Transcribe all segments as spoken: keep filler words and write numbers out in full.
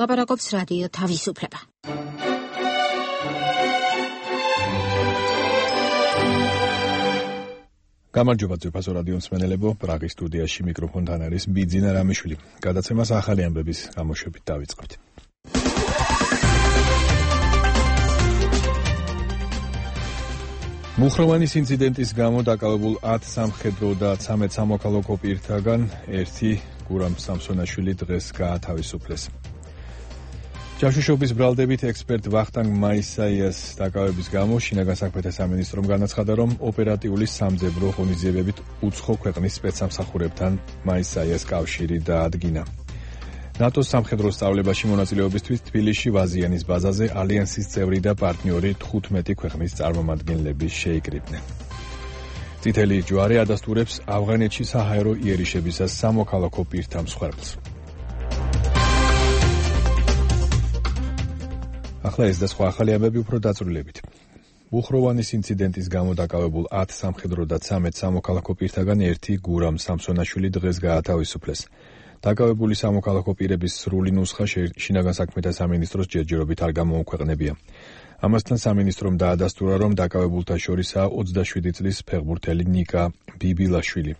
ლაპარაკობს რადიო თავისუფლება. გამარჯობა ძვირფასო რადიო მსმენელებო, პრაღის სტუდიაში მიკროფონთან არის ბიძინა რამიშვილი. გადაცემას ახალი ამბების გამოშვებით დავიწყებთ. მუხროვანის ინციდენტის გამო დაკავებულ ათ სამხედრო და ცამეტ სამოქალაქო პირთაგან ერთი გურამ სამსონაშვილი დღეს გაათავისუფლეს. ჯაშუშობის ბრალდებით ექსპერტ ვახტანგ მაისაიას დაკავების გამო შინაგან საქმეთა სამინისტრომ განაცხადა, რომ ოპერატიული სამძებრო ღონისძიებებით უცხო ქვეყნის სპეცსამსახურებთან მაისაიას კავშირი დაადგინა. ნატოს სამხედრო სწავლებაში მონაწილეობისთვის თბილისში ვაზიანის ბაზაზე ალიანსის წევრი და პარტნიორი თხუთმეტი ქვეყნის წარმომადგენლები შეიკრიბნენ. წითელი ჯვარი ადასტურებს ავღანეთში საჰაერო იერიშებისას სამოქალაქო პირთა მსხვერპლს. ახლა ეს და სხვა ახალი ამბები უფრო დაწვრილებით. მუხროვანის ინციდენტის გამო დაკავებულ ათ სამხედრო და ცამეტ სამოქალაქო პირთაგან ერთი გურამ სამსონაშვილი დღეს გაათავისუფლეს. დაკავებული სამოქალაქო პირების სრული ნუსხა შინაგან საქმეთა სამინისტროს ჯერჯერობით არ გამოუქვეყნებია. ამასთან სამინისტრომ დაადასტურა, რომ დაკავებულთა შორისაა ოცდაშვიდი წლის ფეხბურთელი ნიკა ბიბილაშვილი.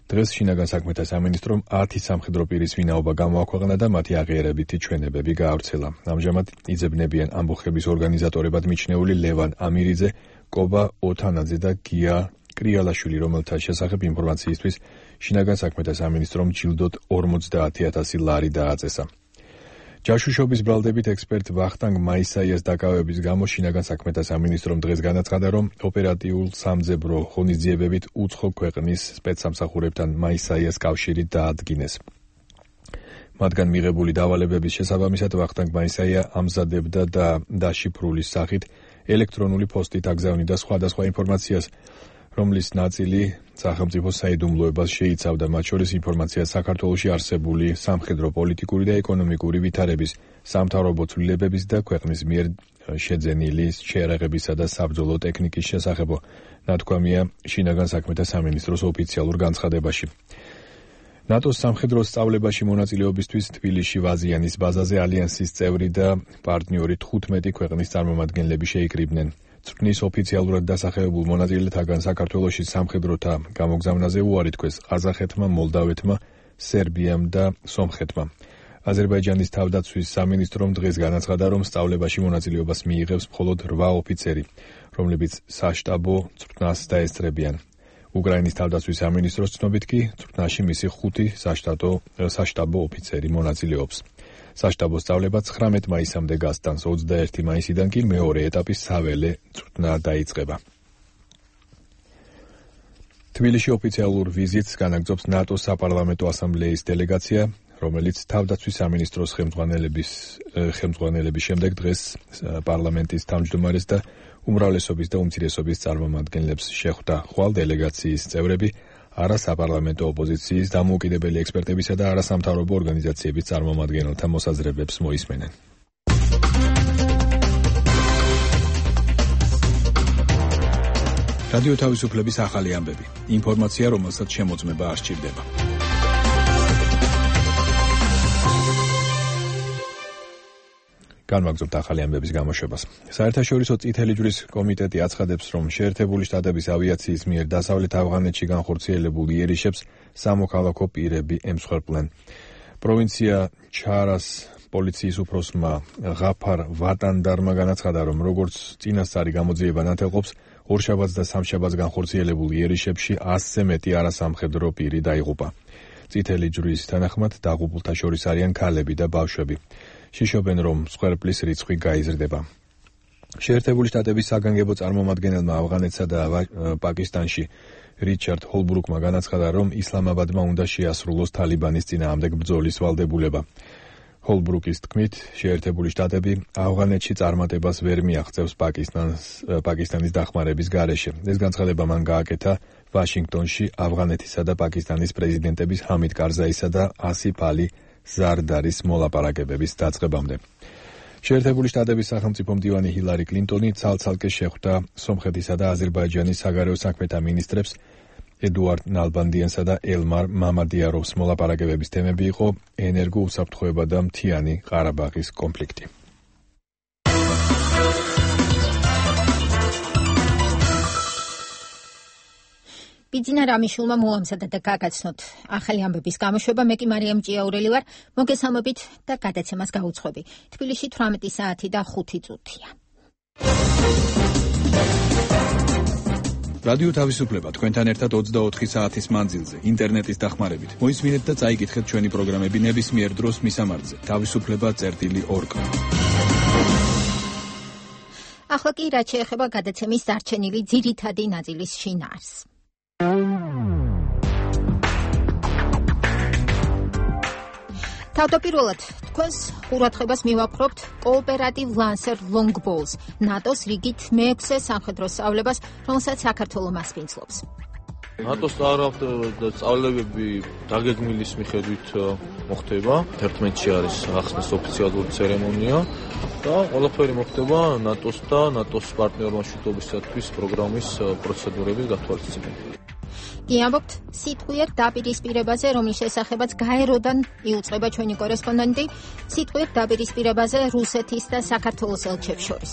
დღეს შინაგან საქმეთა სამინისტრომ ათი სამხედრო პირის ვინაობა გამოაქვეყნა და მათი აღიარებითი ჩვენებები გაავრცელა. ამჟამად იძებნებიან ამბოხების ორგანიზატორებად მიჩნეული ლევან ამირიძე, კობა ოთანაძე და გია კრიალაშვილი, რომელთა შესახებ ინფორმაციისთვის შინაგან საქმეთა სამინისტრომ ჯილდოდ ორმოცდაათი ათასი ლარი დააწესა. ჯაშუშობის ბრალდებით ექსპერტ ვახტანგ მაისაიას დაკავების გამო შინაგან საქმეთა სამინისტრომ დღეს განაცხადა, რომ ოპერატიულ სამძებრო ღონისძიებებით უცხო ქვეყნის სპეცსამსახურებთან მაისაიას კავშირი დაადგინეს. მათგან მიღებული დავალებების შესაბამისად ვახტანგ მაისაია ამზადებდა და დაშიფრულის სახით ელექტრონული პოსტით აგზავნიდა სხვადასხვა ინფორმაციას, რომლის ნაწილი სახელმწიფო საიდუმლოებას შეიცავდა, მათ შორის ინფორმაციას საქართველოში არსებული სამხედრო, პოლიტიკური და ეკონომიკური ვითარების, სამთავრობო ცვლილებების და ქვეყნის მიერ შეძენილი შეერაღებისა და საბრძოლო ტექნიკის შესახებ, ნათქვამია შინაგან საქმეთა სამინისტროს ოფიციალურ განცხადებაში. ნატოს სამხედრო სწავლებაში მონაწილეობისთვის თბილისში ვაზიანის ბაზაზე ალიანსის წევრი და პარტნიორი თხუთმეტი ქვეყნის წარმომადგენლები შეიკრიბნენ. წვრთნის ოფიციალურად დასახელებულ მონაწილეთაგან საქართველოში სამხედროთა გამოგზავნაზე უარი თქვეს ყაზახეთმა, მოლდავეთმა, სერბიამ და სომხეთმა. აზერბაიჯანის თავდაცვის სამინისტრომ დღეს განაცხადა, რომ სწავლებაში მონაწილეობას მიიღებს მხოლოდ რვა ოფიცერი, რომლებიც საშტაბო წვრთნას დაესწრებიან. უკრაინის თავდაცვის სამინისტროს ცნობით კი წვრთნაში მისი ხუთი საშტატო საშტაბო ოფიცერი მონაწილეობს. საშტაბო სწავლება ცხრამეტ მაისამდე გასტანს, ოცდაერთი მაისიდან კი მეორე ეტაპის საველე წვრთნა დაიწყება. თბილისში ოფიციალურ ვიზიტს განაგრძობს ნატოს საპარლამენტო ასამბლეის დელეგაცია, რომელიც თავდაცვის სამინისტროს ხელმძღვანელების ხელმძღვანელების შემდეგ დღეს პარლამენტის თავმჯდომარეს და უმრავლესობის და უმცირესობის წარმომადგენლებს შეხვდა. ხვალ დელეგაციის წევრები არასაპარლამენტო ოპოზიციის, დამოუკიდებელი ექსპერტებისა და არასამთავრობო ორგანიზაციების წარმომადგენელთა მოსაზრებებს მოისმენენ. რადიო თავისუფლების ახალი ამბები. ინფორმაცია, რომელსაც შემოწმება არ სჭირდება. განვაგრძობთ ახალი ამბების გამოშვებას. საერთაშორისო წითელი ჯვრის კომიტეტი აცხადებს, რომ შეერთებული შტატების ავიაციის მიერ დასავლეთ ავღანეთში განხორციელებულ იერიშებს სამოქალაქო პირები ემსხვერპლენ. პროვინცია ჩარას პოლიციის უფროსმა ღაფარ ვატანდარმა განაცხადა, რომ როგორც წინასწარი გამოძიება ნათელყოფს, ორშაბათს და სამშაბათს განხორციელებულ იერიშებში ასზე მეტი არასამხედრო პირი დაიღუპა. წითელი ჯვრის თანახმად დაღუპულთა შორის არიან ქალები და ბავშვები. შიშობენ, რომ მსხვერპლის რიცხვი გაიზრდება. შეერთებული შტატების საგანგებო წარმომადგენელმა ავღანეთსა და პაკისტანში რიჩარდ ჰოლბრუკმა განაცხადა, რომ ისლამაბადმა უნდა შეასრულოს თალიბანის წინააღმდეგ ბრძოლის ვალდებულება. ჰოლბრუკის თქმით, შეერთებული შტატები ავღანეთში წარმატებას ვერ მიაღწევს პაკისტანს პაკისტანის დახმარების გარეშე. ეს განცხადება მან გააკეთა ვაშინგტონში ავღანეთისა და პაკისტანის პრეზიდენტების ჰამიდ კარზაისა და ასიფ ალი ზარდარის მოლაპარაკებების დაწყებამდე. შეერთებული შტატების სახელმწიფო მდივანი ჰილარი კლინტონი ცალ-ცალკე შეხვდა სომხეთისა და აზერბაიჯანის საგარეო საქმეთა მინისტრებს ედუარდ ნალბანდიანსა და ელმარ მამადიაროვს მოლაპარაკებების თემები იყო ენერგოუსაფრთხოება და მთიანი ყარაბაღის კონფლიქტი. ბიძინა რამიშულმა მოამზადა და გაგაცნოთ ახალი ამბების გამოშვება. მე კი მარიამ ჭიაურელი ვარ. მოგესალმებით და გადაცემას გაუძღვები. თბილისში თვრამეტი საათი და ხუთი წუთია. რადიო თავისუფლება თქვენთან ერთად ოცდაოთხი საათის მანძილზე ინტერნეტის დახმარებით. მოისმინეთ და წაიკითხეთ ჩვენი პროგრამები ნებისმიერ დროს მისამართზე თავისუფლება წერტილი ორ. ახლა კი რაც შეეხება გადაცემის დარჩენილი ძირითადი ნაწილის შინაარს. თავდაპირველად თქვენს ყურადღებას მივაპყრობთ კოოპერატივ ლანსერ ლონგბოულს, ნატოს რიგით მეექვსე სამხედრო სწავლებას, რომელსაც საქართველო მასპინძლობს. ნატოს სწავლებები დაგეგმილის მიხედვით მოხდება. ერთმეტში არის ახსნის ოფიციალური ცერემონია და ყველაფერი მოხდება ნატოს და ნატოს პარტნიორ მშვიდობისათვის პროგრამის პროცედურების გათვალისწინებით. კი ამბობთ სიტყვიერ დაპირისპირებაზე, რომლის შესახებაც გაეროდან იუწყება ჩვენი კორესპონდენტი, სიტყვიერ დაპირისპირებაზე რუსეთის და საქართველოს ელჩებს შორის.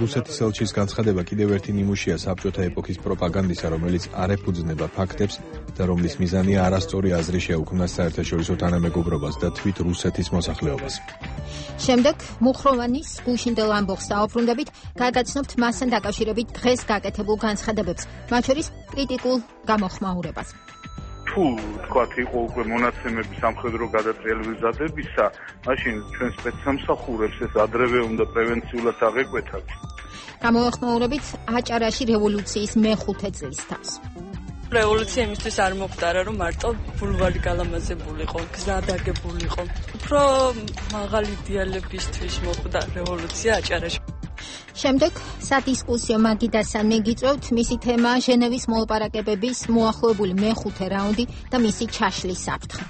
რუსეთის ელჩის განცხადება კიდევ ერთი ნიმუშია საბჭოთა ეპოქის პროპაგანდისა, რომელიც არ ეფუძნება ფაქტებს და რომლის მიზანია არასწორი აზრი შეუქმნას საერთაშორისო თანამეგობრობას და თვით რუსეთის მოსახლეობას. შემდეგ მუხროვანის გუშინდელ ამბოხს დაუბრუნდებით, გაგაცნობთ მასთან დაკავშირებით დღეს გაკეთებულ განცხადებებს, მათ შორის კრიტიკულ გამოხმაურებას. თუ თქვათ იყო უკვე მონაცემები სამხედრო გადატრიალებებისა, მაშინ ჩვენ სპეცსამსახურებს ეს ადრევე უნდა პრევენციულად აღეკვეთათ. გამოხმაურებით აჭარაში რევოლუციის მეხუთე წლის თავს. რევოლუცია იმისთვის არ მოხდარა, რომ მარტო ბულვარი გალამაზებულიყო, გზა დაგებულიყო. უფრო მაღალი იდეალებისთვის მოხდა რევოლუცია აჭარაში. შემდეგ სადისკუსიო მაგიდასთან მიგიწევთ, მისი თემა ჟენევის მოლაპარაკებების მოახლოებული მეხუთე რაუნდი და მისი ჩაშლის საფრთხე.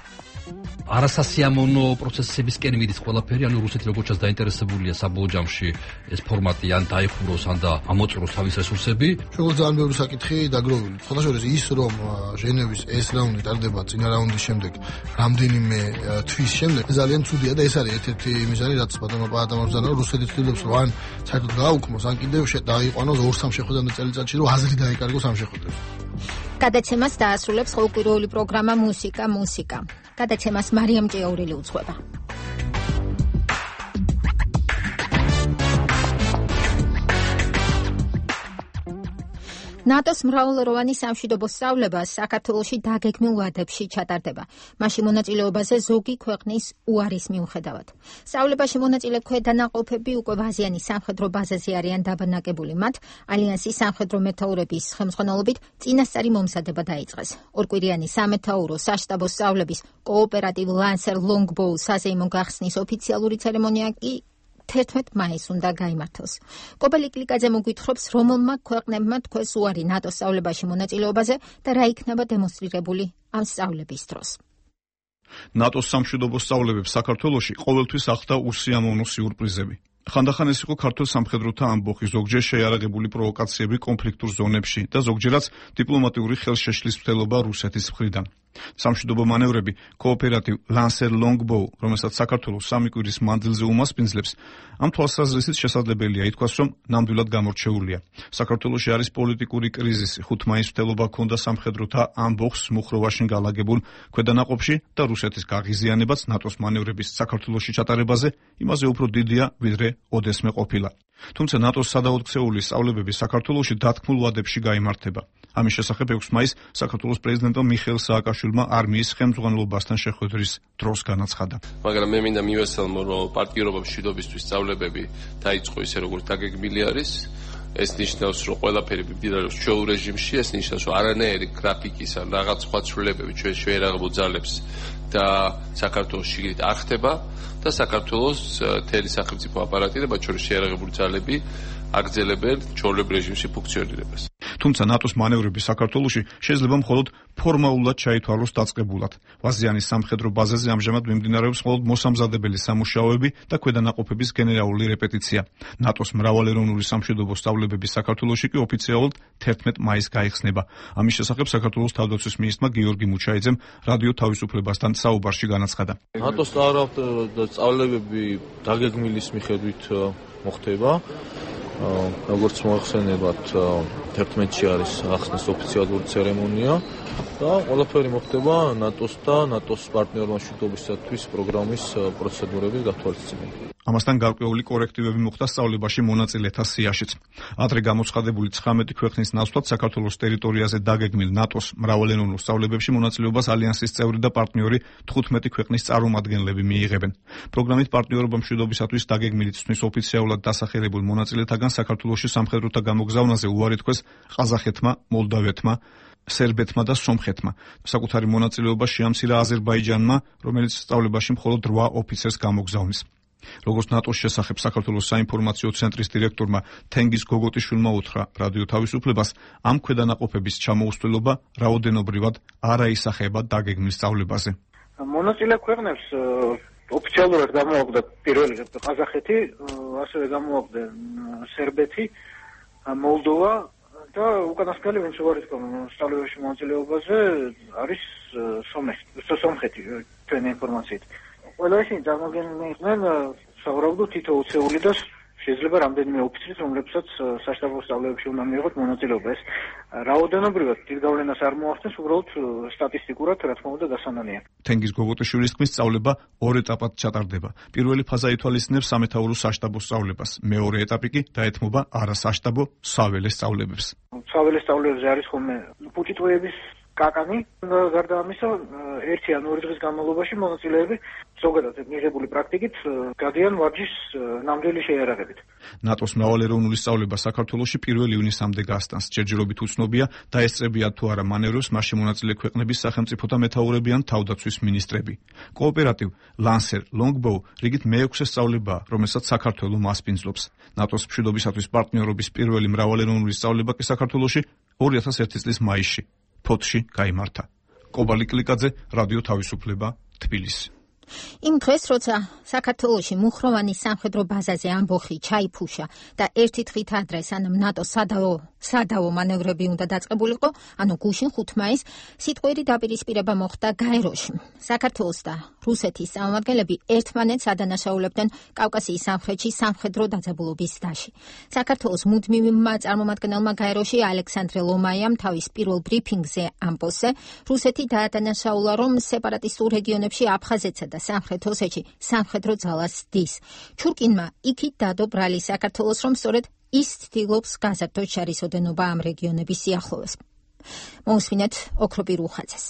არასასიამოვნო პროცესებისკენ მიდის ყველაფერი, ანუ რუსეთი როგორც ჩანს დაინტერესებულია საბოლოო ჯამში ეს ფორმატი ან დაიხუროს, ან და ამოწუროს თავის რესურსები. როგორც ძალიან ბევრი საკითხი დაგროვილი. სხვადასხვა ის, რომ ჟენევის ეს რაუნდი ტარდება წინა რაუნდის შემდეგ, რამდენიმე თვის შემდეგ, ძალიან ცუდია და ეს არის ერთ-ერთი მიზანი, რაც ბატონო პაატამავზანა რუსეთი ცდილობს, რომ ან საერთოდ გააუქმოს, ან კიდევ დაიყვანოს ორ-სამ შეხვედრამდე წელიწადში, რომ აზრი დაეკარგოს ამ შეხვედრებს. გადაცემას დაასრულებს ყოველკვირეული პროგრამა მუსიკა მუსიკა. გადაცემას მარიამ ჭიაურელი უძღვება. ნატოს მრავალროვანი სამშვიდობო სწავლება საქართველოში დაგეგმილ ვადებში ჩატარდება. მასში მონაწილეობაზე ზოგი ქვეყნის უარის მიუხედავად. სწავლებაში მონაწილე ქვედანაყოფები უკვე ვაზიანის სამხედრო ბაზაზე არიან დაბანაკებული. მათ ალიანსის სამხედრო მეთაურების ხელმძღვანელობით წინასწარი მომზადება დაიწყეს. ორკვირიანი სამეთაურო საშტაბო სწავლების კოოპერატივ ლანსერ ლონგბოულ საზეიმო გახსნის ოფიციალური ცერემონია კი თერთმეტ მაისს უნდა გაიმართოს. კობელი კლიკაძე მოგვითხრობს, რომელმა ქვეყნებმა თქვეს უარი ნატოს სწავლებაში მონაწილეობაზე და რა იქნება დემონსტრირებული ამ სწავლების დროს. ნატოს სამშვიდობო სწავლებებს საქართველოში ყოველთვის ახლდა უსიამოვნო სიურპრიზები. ხანდახან ეს იყო ქართულ სამხედროთა ამბოხი, ზოგჯერ შეიარაღებული პროვოკაციები კონფლიქტურ ზონებში და ზოგჯერაც დიპლომატიური ხელშეშლის მცდელობა რუსეთის მხრიდან. სამშვიდობო მანევრები კოოპერატივ ლანსერ ლონგბოუ, რომელსაც საქართველოს სამი კვირის მანძილზე უმასპინძლებს, ამ თვალსაზრისით შესაძლებელია ითქვას, რომ ნამდვილად გამორჩეულია. საქართველოში არის პოლიტიკური კრიზისი, ხუთ მაისს მცდელობა ჰქონდა სამხედროთა ამბოხს მუხროვაში განლაგებულ ქვედანაყოფში და რუსეთის გაღიზიანებაც ნატოს მანევრების საქართველოში ჩატარებაზე იმაზე უფრო დიდია, ვიდრე ოდესმე ყოფილა. თუმცა ნატოს სადაოთხსეული სწავლებები საქართველოში დათქმულ ვადებში გაიმართება. ამის შესახებ ექვსი მაისს საქართველოს პრეზიდენტმა მიხეილ სააკაშვილმა არმიის ხელმძღვანელობასთან შეხვედრის დროს განაცხადა. მაგრამ მე მინდა მივესალმო, რომ პარტიორობა მშვიდობისთვის სწავლებები დაიწყო ისე როგორც დაგეგმილი არის. ეს ნიშნავს, რომ ყველაფერი მიმდინარეობს ჩვეულ რეჟიმში, ეს ნიშნავს, რომ არანაირი გრაფიკის ან რაღაც სხვა ცვლილებები ჩვენ შეერაღებულ ძალებს და საქართველოს შიგნით არ ხდება და საქართველოს მთელი სახელმწიფო აპარატი და მათ შორის შეერაღებული ძალები აგრძელებენ ჩვეულებრივ რეჟიმში ფუნქციონირებას. თუმცა ნატოს მანევრები საქართველოში შეიძლება მხოლოდ ფორმალურად ჩაითვალოს დაწყებულად. ვაზიანის სამხედრო ბაზაზე ამჟამად მიმდინარეობს მხოლოდ მოსამზადებელი სამუშაოები და ქვედანაყოფების გენერალური რეპეტიცია. ნატოს მრავალეროვნული სამშვიდობო სწავლებები საქართველოში კი ოფიციალურად თერთმეტ მაისს გაიხსნება. ამის შესახებ საქართველოს თავდაცვის მინისტრმა გიორგი მუჩაიძემ რადიო თავისუფლებასთან საუბარში განაცხადა. ნატოს სწავლებები დაგეგმილის მიხედვით მოხდება. როგორც მოახსენებათ, თერთმეტში არის ახსნის ოფიციალური ცერემონია და ყველაფერი მოხდება ნატოს და ნატოს პარტნიორთა მშვიდობისათვის პროგრამის პროცედურების გათვალისწინებით. ამასთან გარკვეული კორექტივები მოხდა სწავლებაში მონაწილეთა სიაშიც. ადრე გამოცხადებული ცხრამეტი ქვეყნის ნაცვლად საქართველოს ტერიტორიაზე დაგეგმილ ნატოს მრავალენოვნურ სწავლებებში მონაწილეობას ალიანსის წევრი და პარტნიორი თხუთმეტი ქვეყნის წარმომადგენლები მიიღებენ. პროგრამით პარტნიორობა მშვიდობისათვის დაგეგმილი ცვლის ოფიციალურად დასახელებულ მონაწილეთაგან საქართველოში სამხედროთა გამოგზავნაზე უარი თქვეს ყაზახეთმა, მოლდავეთმა, სერბეთმა და სომხეთმა. საკუთარი მონაწილეობა შეამცირა აზერბაიჯანმა, რომელიც სწავლებაში მხოლოდ რვა ოფიცერს გამოგზავნის. როგორც ნატოს შესახებ საქართველოს საინფორმაციო ცენტრის დირექტორმა თენგიზ გოგოტიშვილმა უთხრა რადიო თავისუფლებას, ამ ქვედანაყოფების ჩამოუსწველობა რაოდენობრივად არ აისახება დაგეგმილ სწავლებაზე. მონაწილე ქვეყნებს ოფიციალურად გამოაქვდა პირველი ყაზახეთი, ასევე გამოაქვდა სერბეთი, მოლდოვა და უკანასკნელი ვინც უარი თქვა სწავლებაში მონაწილეობაზე არის სომხეთი ჩვენი ინფორმაციით. ყველა ისინი წარმოადგენენ იყვნენ სავარაუდოდ თითო ოცეული და შეიძლება რამდენიმე ოფიცრის, რომლებსაც საშტაბო სწავლებებში უნდა მიიღოთ მონაწილეობა. ეს რაოდენობრივად დიდ გავლენას არ მოახდენს, უბრალოდ სტატისტიკურად, რა თქმა უნდა, დასანანია. თენგიზ გოგოტიშვილის თქმით, სწავლება ორ ეტაპად ჩატარდება. პირველი ფაზა ითვალისწინებს სამეთაურო საშტაბო სწავლებას, მეორე ეტაპი კი დაეთმობა არასაშტაბო საველე სწავლებებს. საველე სწავლებზე არის ხოლმე პუტიტოების კაკანი, გარდა ამისა, ერთი ან ორი დღის განმავლობაში მონაწილეები ზოგადად მიღებული პრაქტიკით გადიან ვარჯიშს ნამდვილი შეიარაღებით. ნატოს მრავალეროვნული სწავლება საქართველოში პირველი ივნისამდე გასტანს. ჯერჯერობით უცნობია, დაესწრებიან თუ არა მანევრებს მასში მონაწილე ქვეყნების სახელმწიფოთა მეთაურები ან თავდაცვის მინისტრები. კოოპერატივ ლანსერ ლონგბოუ რიგით მეექვსე სწავლებაა, რომელსაც საქართველო მასპინძლობს. ნატოს მშვიდობისათვის პარტნიორობის პირველი მრავალეროვნული სწავლება კი საქართველოში ორი ათას ერთი წლის მაისში ფოთში გაიმართა. კობალი კლიკაძე, რადიო თავისუფლება, თბილისი. იმ დღეს, როცა საქართველოში მუხროვანის სამხედრო ბაზაზე ამბოხი ჩაიფუშა და ერთი დღით ადრე სანამ ნატოს სადავო სადავო მანევრები უნდა დაწყებულიყო, ანუ გუშინ ხუთ მაისს, სიტყვიერი დაპირისპირება მოხდა გაეროში. საქართველოს და რუსეთის წარმომადგენლები ერთმანეთს ადანაშაულებდნენ კავკასიის სამხრეთში სამხედრო დაძაბულობის დაში. საქართველოს მუდმივმა წარმომადგენელმა გაეროში ალექსანდრე ლომაიამ თავის პირველ ბრიფინგზე ამბოზე, რუსეთი დაადანაშაულა, რომ სეპარატისტულ რეგიონებში აფხაზეთსა და სამხრეთ ოსეთში სამხედრო ძალას დის. ჩურკინმა იქით დადო ბრალი საქართველოს, რომ სწორედ ის ცდილობს გაზარდოს შარისოდენობა ამ რეგიონების სიახლოვეს. მოусმინეთ ოქროპირ უხაძეს.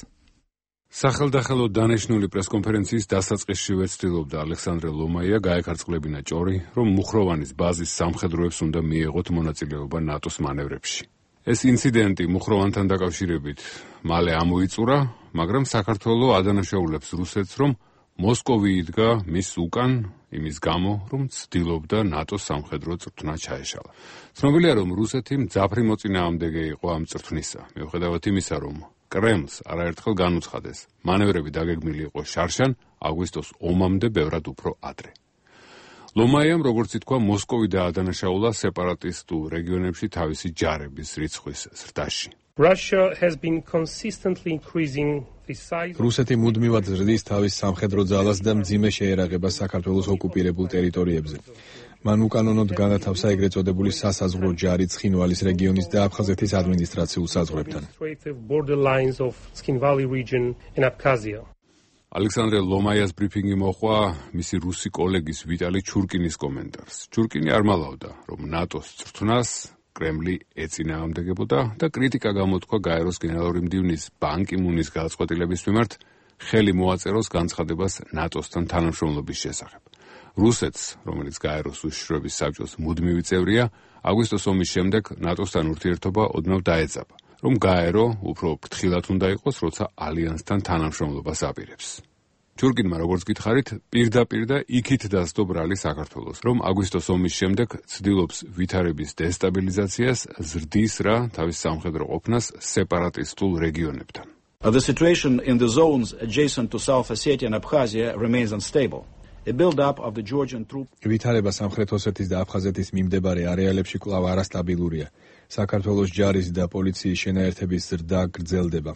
სახელდახელო დანიშნული პრესკონფერენციის დასაწყისშივე ცდილობდა ალექსანდრე ლომაია გაეკარწყლებინა ჭორი, რომ მუხროვანის ბაზის სამხედროებს უნდა მიეღოთ მონაწილეობა ნატოს მანევრებში. ეს ინციდენტი მუხროვანთან დაკავშირებით მალე ამოიწურა, მაგრამ საქართველო ადანაშაულებს რუსეთს, რომ მოსკოვი იდგა მის უკან იმის გამო, რომ ცდილობდა ნატოს სამხედრო წვრთნა ჩაეშალა. ცნობილია, რომ რუსეთი მძაფრი მოწინააღმდეგე იყო ამ წვრთნისა, მიუხედავად იმისა, რომ კრემლს არაერთხელ განუცხადეს, მანევრები დაგეგმილი იყო შარშან აგვისტოს ომამდე ბევრად უფრო ადრე. ლომაიამ, როგორც ითქვა, მოსკოვი დაადანაშაულა სეპარატისტულ რეგიონებში თავისი ჯარების რიცხვის ზრდაში. რუსეთი მუდმივად ზრდის თავის სამხედრო ძალას და მძიმე შეერაღებას საქართველოს ოკუპირებულ ტერიტორიებზე. მან უკანონოდ განათავსა ეგრეთ წოდებული სასაზღვრო ჯარი ცხინვალის რეგიონის და აფხაზეთის ადმინისტრაციულ საზღვრებთან. ალექსანდრე ლომაიას ბრიფინგი მოჰყვა მისი რუსი კოლეგის ვიტალი ჩურკინის კომენტარს. ჩურკინი არ მალავდა, რომ ნატოს წვრთნას კრემლი ეწინააღმდეგებოდა და კრიტიკა გამოთქვა გაეროს გენერალური მდივნის ბან კი მუნის გადაწყვეტილების მიმართ ხელი მოაწეროს განცხადებას ნატოსთან თანამშრომლობის შესახებ. რუსეთს, რომელიც გაეროს უშიშროების საბჭოს მუდმივი წევრია, აგვისტოს ომის შემდეგ ნატოსთან ურთიერთობა ოდნავ დაეწაბა, რომ გაერო უფრო ფრთხილად უნდა იყოს, როცა ალიანსთან თანამშრომლობას აპირებს. ჩურკინმა როგორც გითხარით, პირდაპირ და იქით დასდო ბრალი საქართველოს, რომ აგვისტოს ომის შემდეგ ცდილობს ვითარების დესტაბილიზაციას, ზრდის რა თავის სამხედრო ყოფნას სეპარატისტულ რეგიონებთან. The situation in the zones adjacent to South Ossetia and Abkhazia remains unstable. A build-up of the Georgian troops. ვითარება სამხრეთ ოსეთის და აფხაზეთის მიმდებარე არეალებში კვლავ არასტაბილურია. საქართველოს ჯარის და პოლიციის შენაერთების ზრდა გრძელდება.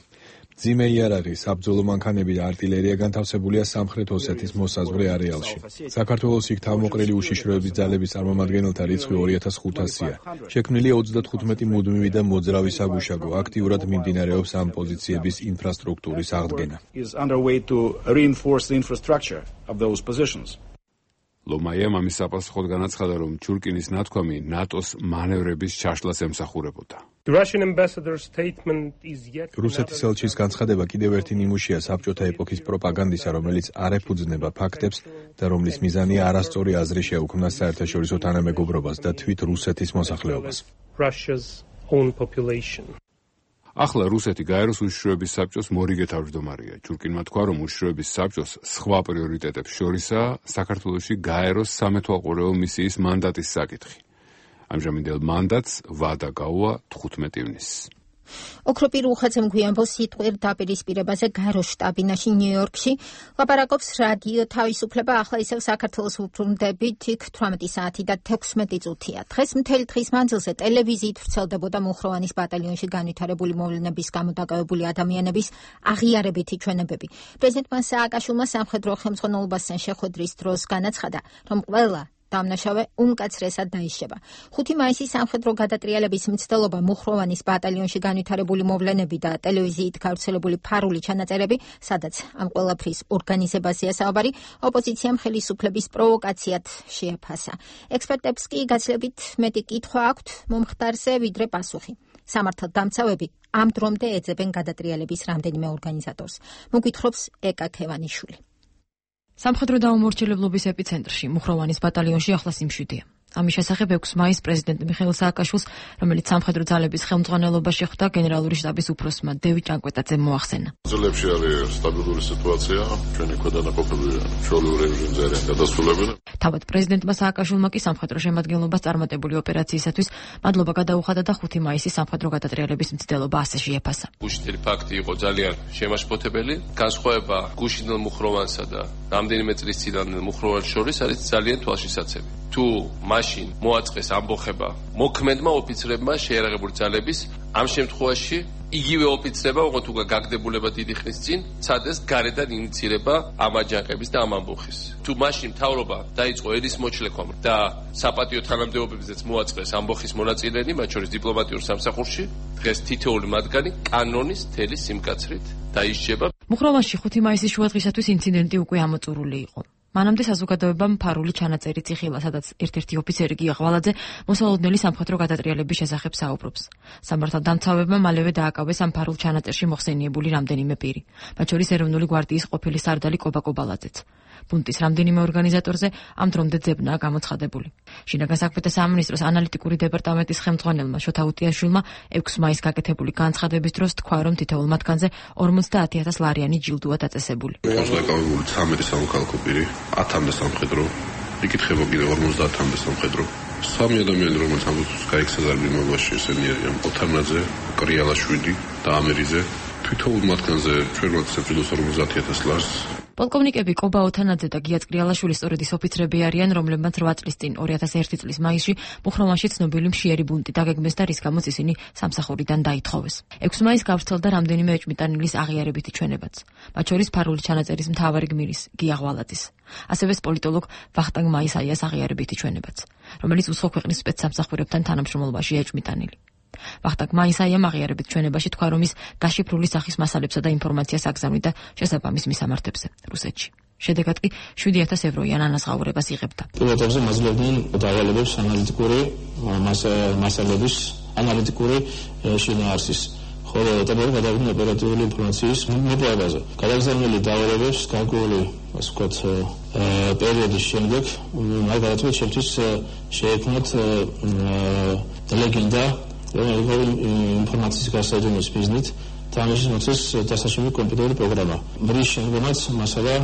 მძიმე იარაღი, საბრძოლო მანქანები და არტილერია განთავსებულია სამხრეთ ოსეთის მოსაზღვრე არეალში. საქართველოს იქ თავმოყრილი უშიშროების ძალების წარმომადგენელთა რიცხვი ორი ათას ხუთასია. შექმნილია ოცდათხუთმეტი მუდმივი და მოძრავი საგუშაგო, აქტიურად მიმდინარეობს ამ პოზიციების ინფრასტრუქტურის აღდგენა. ლომაიამ ამის საპასუხოდ განაცხადა, რომ ჩურკინის ნათქვამი ნატოს მანევრების ჩაშლას ემსახურებოდა. რუსეთის ელჩის განცხადება კიდევ ერთი ნიმუშია საბჭოთა ეპოქის პროპაგანდისა, რომელიც არ ეფუძნება ფაქტებს და რომლის მიზანია არასწორი აზრი შეუქმნას საერთაშორისო თანამეგობრობას და თვით რუსეთის მოსახლეობას. ახლა რუსეთი გაეროს უშიშროების საბჭოს მორიგე თავმჯდომარეა. ჩურკინმა თქვა, რომ უშიშროების საბჭოს სხვა პრიორიტეტებს შორისაა საქართველოში გაეროს სამეთვალყურეო მისიის მანდატის საკითხი. ამჟამინდელ მანდატს ვადა გაუვა თხუთმეტი ივნისს. ოქროპირ უხეცემ გვიანბოს სიტყვიერ დაპირისპირებაზე გაეროს შტაბ-ბინაში ნიუ-იორკში ლაპარაკობს რადიო თავისუფლება, ახლა ისევ საქართველოს უბრუნდებით იქ თვრამეტი საათი და თექვსმეტი წუთია. დღეს მთელი დღის მანძილზე ტელევიზიით ვრცელდებოდა მუხროვანის ბატალიონში განვითარებული მოვლენების გამო დაკავებული ადამიანების აღიარებითი ჩვენებები. პრეზიდენტმა სააკაშვილმა სამხედრო ხელმძღვანელობასთან შეხვედრის დროს განაცხადა, რომ ყველა დამნაშავე უმკაცრესად დაიშება. ხუთი მაისის სამხედრო გადატრიალების მცდელობა, მუხროვანის ბატალიონში განვითარებული მოვლენები და ტელევიზიით გავრცელებული ფარული ჩანაწერები, სადაც ამ ყველაფრის ორგანიზებაზეა საუბარი, ოპოზიციამ ხელისუფლების პროვოკაციად შეაფასა. ექსპერტებს კი გაცილებით მეტი კითხვა აქვთ მომხდარზე, ვიდრე პასუხი. სამართალდამცავები ამ დრომდე ეძებენ გადატრიალების რამდენიმე ორგანიზატორს. მოგვითხრობს ეკა ქევანიშვილი. სამხედრო დაუმორჩილებლობის ეპიცენტრში მუხროვანის ბატალიონში ახლა სიმშვიდეა. ამის შესახებ ექვსი მაისს პრეზიდენტ მიხეილ სააკაშვილს, რომელიც სამხედრო ძალების ხელმძღვანელობაში ხვდა, გენერალური შტაბის უფროსმა დევიდ ჭანკვეტაძემ მოახსენა. ძალებში არის სტაბილური სიტუაცია, ჩვენი ქვედანაყოფები ჩვეულებრივ რეჟიმზე არიან გადასულებული. თავად პრეზიდენტმა სააკაშვილმა კი სამხედრო შემადგენლობას წარმატებული ოპერაციისათვის მადლობა გადაუხადა და ხუთი მაისის სამხედრო გადატრიალების მცდელობა ასე შეაფასა. გუშინელი ფაქტი იყო ძალიან შემაშფოთებელი. განსხვავება გუშინელ მუხროვანსა და რამდენიმე წლის წინანდელ მუხროვანს შორის არის ძალიან თვალშისაცემი. თუ მაშინ მოაწყეს ამბოხება მოქმედმა ოფიცრებმა შეიარაღებული ძალების, ამ შემთხვევაში იგივე ოფიცრება, ოღონდ უკვე გაგდებულება დიდი ხნის წინ, ცადეს გარედან ინიცირება ამ აჯანყების და ამ ამბოხის. თუ მაშინ მთავრობა დაიწყო ერის მოჩლექვამ და საპატიო თანამდებობებზეც მოაწყეს ამბოხის მონაწილენი, მათ შორის დიპლომატიურ სამსახურში, დღეს თითოეული მათგანი კანონის თელის სიმკაცრით დაიშჩება. მუხროვანში ხუთი მაისის შუადღისათვის ინციდენტი უკვე ამოწურული იყო. მანამდე საზოგადოებამ ფარული ჩანაწერიც იხილა, სადაც ერთ-ერთი ოფიცერი გია ღვალაძე მოსალოდნელი სამხედრო გადატრიალების შესახებ საუბრობს. სამართალდამცავებმა მალევე დააკავეს ამ ფარულ ჩანაწერში მოხსენიებული რამდენიმე პირი, მათ შორის ეროვნული გვარდიის ყოფილი სარდალი კობა კობალაძეც. პუნქტის რამდენიმე ორგანიზატორზე ამ დრომდე ძებნაა გამოცხადებული. შინაგან საქმეთა სამინისტროს ანალიტიკური დეპარტამენტის ხელმძღვანელმა შოთა უტიაშვილმა ექვსი მაისს გაკეთებული განცხადების დროს თქვა, რომ თითოეულ მათგანზე ორმოცდაათი ათას ლარიანი ჯილდოა დაწესებული. დაკავებული ცხრამეტი სამოქალაქო პირი, ათამდე სამხედრო, იკითხება კიდევ ორმოცდაათამდე სამხედრო. სამი ადამიანი, რომელიც ამბობს გაიქცა ზარბინობაში, ესენი არიან ოთარნაძე, კრიალაშვილი და ამერიძე. თითოეულ მათგანზე ჩვენ ვაცებრილოს ორმოცდაათი ათას ლარს. პოლკოვნიკები კობა ოთანაძე და გია წკრიალაშვილი სწორედ ის ოფიცრები არიან, რომლებმაც რვა წლის წინ ორი ათას ერთი წლის მაისში მუხროვანში ცნობილი მშიერი ბუნტი დაგეგმეს და რის გამოც ისინი სამსახურიდან დაითხოვეს. ექვსი მაისს გავრცელდა რამდენიმე ეჭვმიტანილის აღიარებითი ჩვენებაც, მათ შორის ფარული ჩანაწერის მთავარი გმირის გია ღვალაძის. ასევე პოლიტოლოგ ვახტანგ მაისაიას აღიარებითი ჩვენებაც, რომელიც უცხო ქვეყნის სპეცსამსახურებთან თანამშრომლობაში ეჭვმიტანილი. ვახტანგ მაისაიამ აღიარებით ჩვენებაში თქვა, რომ ის გაშიფრული სახის მასალებსა და ინფორმაციას აგზავნიდა შესაბამის მისამართებზე რუსეთში. შედეგად კი შვიდი ათას ევროიან ანაზღაურებას იღებდა. პილოტებზე მაძლევდნენ დავალებებს ანალიტიკური მასალების ანალიტიკური შინაარსის, ხოლო ეტაპები გადავიდნენ ოპერატიული ინფორმაციის მოპოვებაზე. გადაგზავნილი დავალებებს გარკვეული, ასე ვთქვათ, პერიოდის შემდეგ, მაგალითად, შემთხვევით შეექმნათ ლეგენდა ინფორმაციის გასაჯენოს მიზნით თამაშის მოწესს დასაშიფრო კომპიუტერული პროგრამა. მრის შემდგომაც მასალა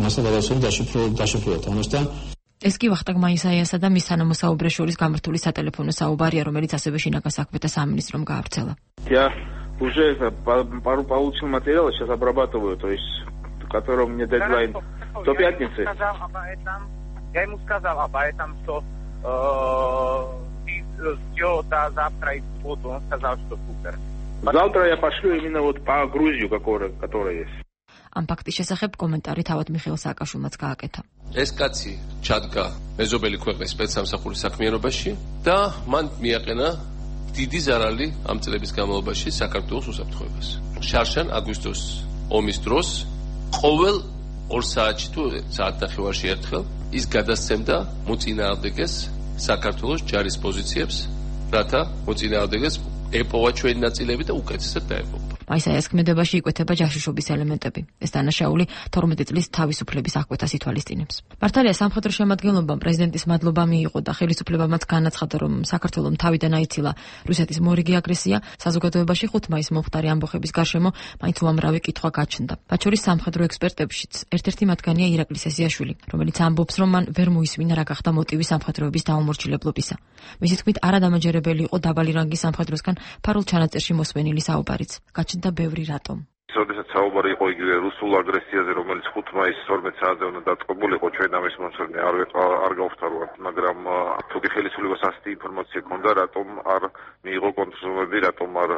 მასალა დაშიფრო დაშიფროთ. ამასთან ეს კი ვახტანგ მაისაიასა და мис თანამოსაუბრეს შორის გამართული სატელეფონო საუბარია, რომელიც ასევე შინაგან საქმეთა სამინისტრომ გაავრცელა. Я уже пару получил материала, сейчас обрабатываю, то есть, который у меня дедлайн до пятницы. Я ему сказал об этом, что все до завтра и в субботу. Он сказал, что супер. Завтра я пошлю именно вот по Грузию, которая, которая есть. ამ ფაქტის შესახებ კომენტარი თავად მიხეილ სააკაშვილმაც გააკეთა. ეს კაცი ჩადგა მეზობელი ქვეყნის სპეცსამსახურის საქმიანობაში და მან მიაყენა დიდი ზარალი ამ წლების განმავლობაში საქართველოს უსაფრთხოებას. შარშან აგვისტოს ომის დროს ყოველ ორ საათში თუ საათ ნახევარში ერთხელ ის გადასცემდა მოწინააღმდეგეს საქართველოს ჯარის პოზიციებს, რათა მოწინააღმდეგეს ეპოვა ჩვენი ნაწილები და უკეთესად დაეპოვა. მაისაიას ქმედებაში იკვეთება ჯაშუშობის ელემენტები. ეს დანაშაული თორმეტი წლის თავისუფლების აღკვეთას ითვალისწინებს. მართალია სამხედრო შემადგენლობამ პრეზიდენტის მადლობა მიიღო და ხელისუფლებამაც განაცხადა, რომ საქართველოს თავიდან აიცილა რუსეთის მორიგი აგრესია. საზოგადოებაში ხუთ მაისს მომხდარი ამბოხების გარშემო მაინც უამრავი კითხვა გაჩნდა. მათ შორის სამხედრო ექსპერტებშიც ერთ-ერთი მათგანია ირაკლი სესიაშვილი, რომელიც ამბობს, რომ მან ვერ მოისმინა რა გახდა მოტივი სამხედროების დაუმორჩილებლობისა. მისი თქმით, არადამაჯერებელი იყო დაბალი რანგის სამხედროსგან ფარულ ჩანაწერში მოსვენილი საუბარიც. გაჩნდა ბევრი რატომ. როდესაც საუბარი იყო იგივე რუსულ აგრესიაზე, რომელიც ხუთ მაისს თორმეტ საათზე უნდა დაწყებულიყო, ჩვენ ამის მომსწრე არ არ გავხსარვართ, მაგრამ თუ კი ხელისუფლებას ასეთი ინფორმაცია ჰქონდა, რატომ არ მიიღო კონტროლები, რატომ არ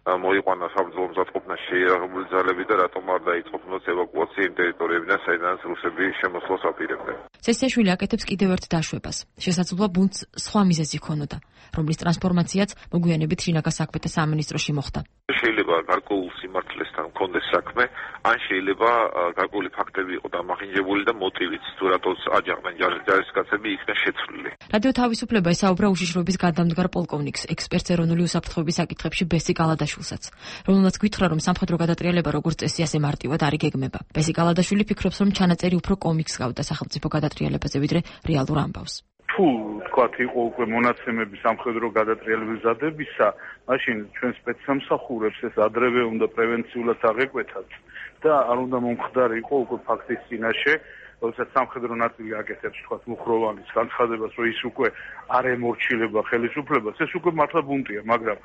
მოიყვანა საბრძოლო მზადყოფნა შეიარაღებული ძალები და რატომ არ დაიწყო ფონდს ევაკუაცია იმ ტერიტორიებიდან, საიდანაც რუსები შემოსვლას აპირებდნენ. სესიაშვილი აკეთებს კიდევ ერთ დაშვებას. შესაძლოა ბუნდს სხვა მიზეზი ჰქონოდა, რომლის ტრანსფორმაციაც მოგვიანებით შინაგან საქმეთა სამინისტროში მოხდა. შეიძლება გარკვეულ სიმართლესთან მქონდეს საქმე, ან შეიძლება გარკვეული ფაქტები იყო დამახინჯებული და მოტივიც, თუ რატოს აჯანყდნენ ჯარისკაცები იქნა შეცვლილი. რადიო თავისუფლება ესაუბრა უშიშროების გადამდგარ პოლკოვნიკს, ექსპერტს ეროვნული უსაფრთხოების საკითხებში ბესი კალადაშვილსაც, რომელმაც გითხრა, რომ სამხედრო გადატრიალება როგორც წესი ასე მარტივად არ იგეგმება. ბესი კალადაშვილი ფიქრობს, რომ ჩანაწერი უფრო კომიქსს გავდა სახელმწიფო გადატრიალებაზე, ვიდრე რეალურ ამბავს. თუ თქვათ იყო უკვე მონაცემები სამხედრო გადატრიალების მზადებისა, მაშინ ჩვენ სპეცსამსახურებს ეს ადრევე უნდა პრევენციულად აღეკვეთათ და არ უნდა მომხდარიყო უკვე ფაქტის წინაშე, როდესაც სამხედრო ნაწილი აკეთებს თქვათ მუხროვანის განცხადებას, რომ ის უკვე არ ემორჩილება ხელისუფლებას, ეს უკვე მართლა ბუნტია, მაგრამ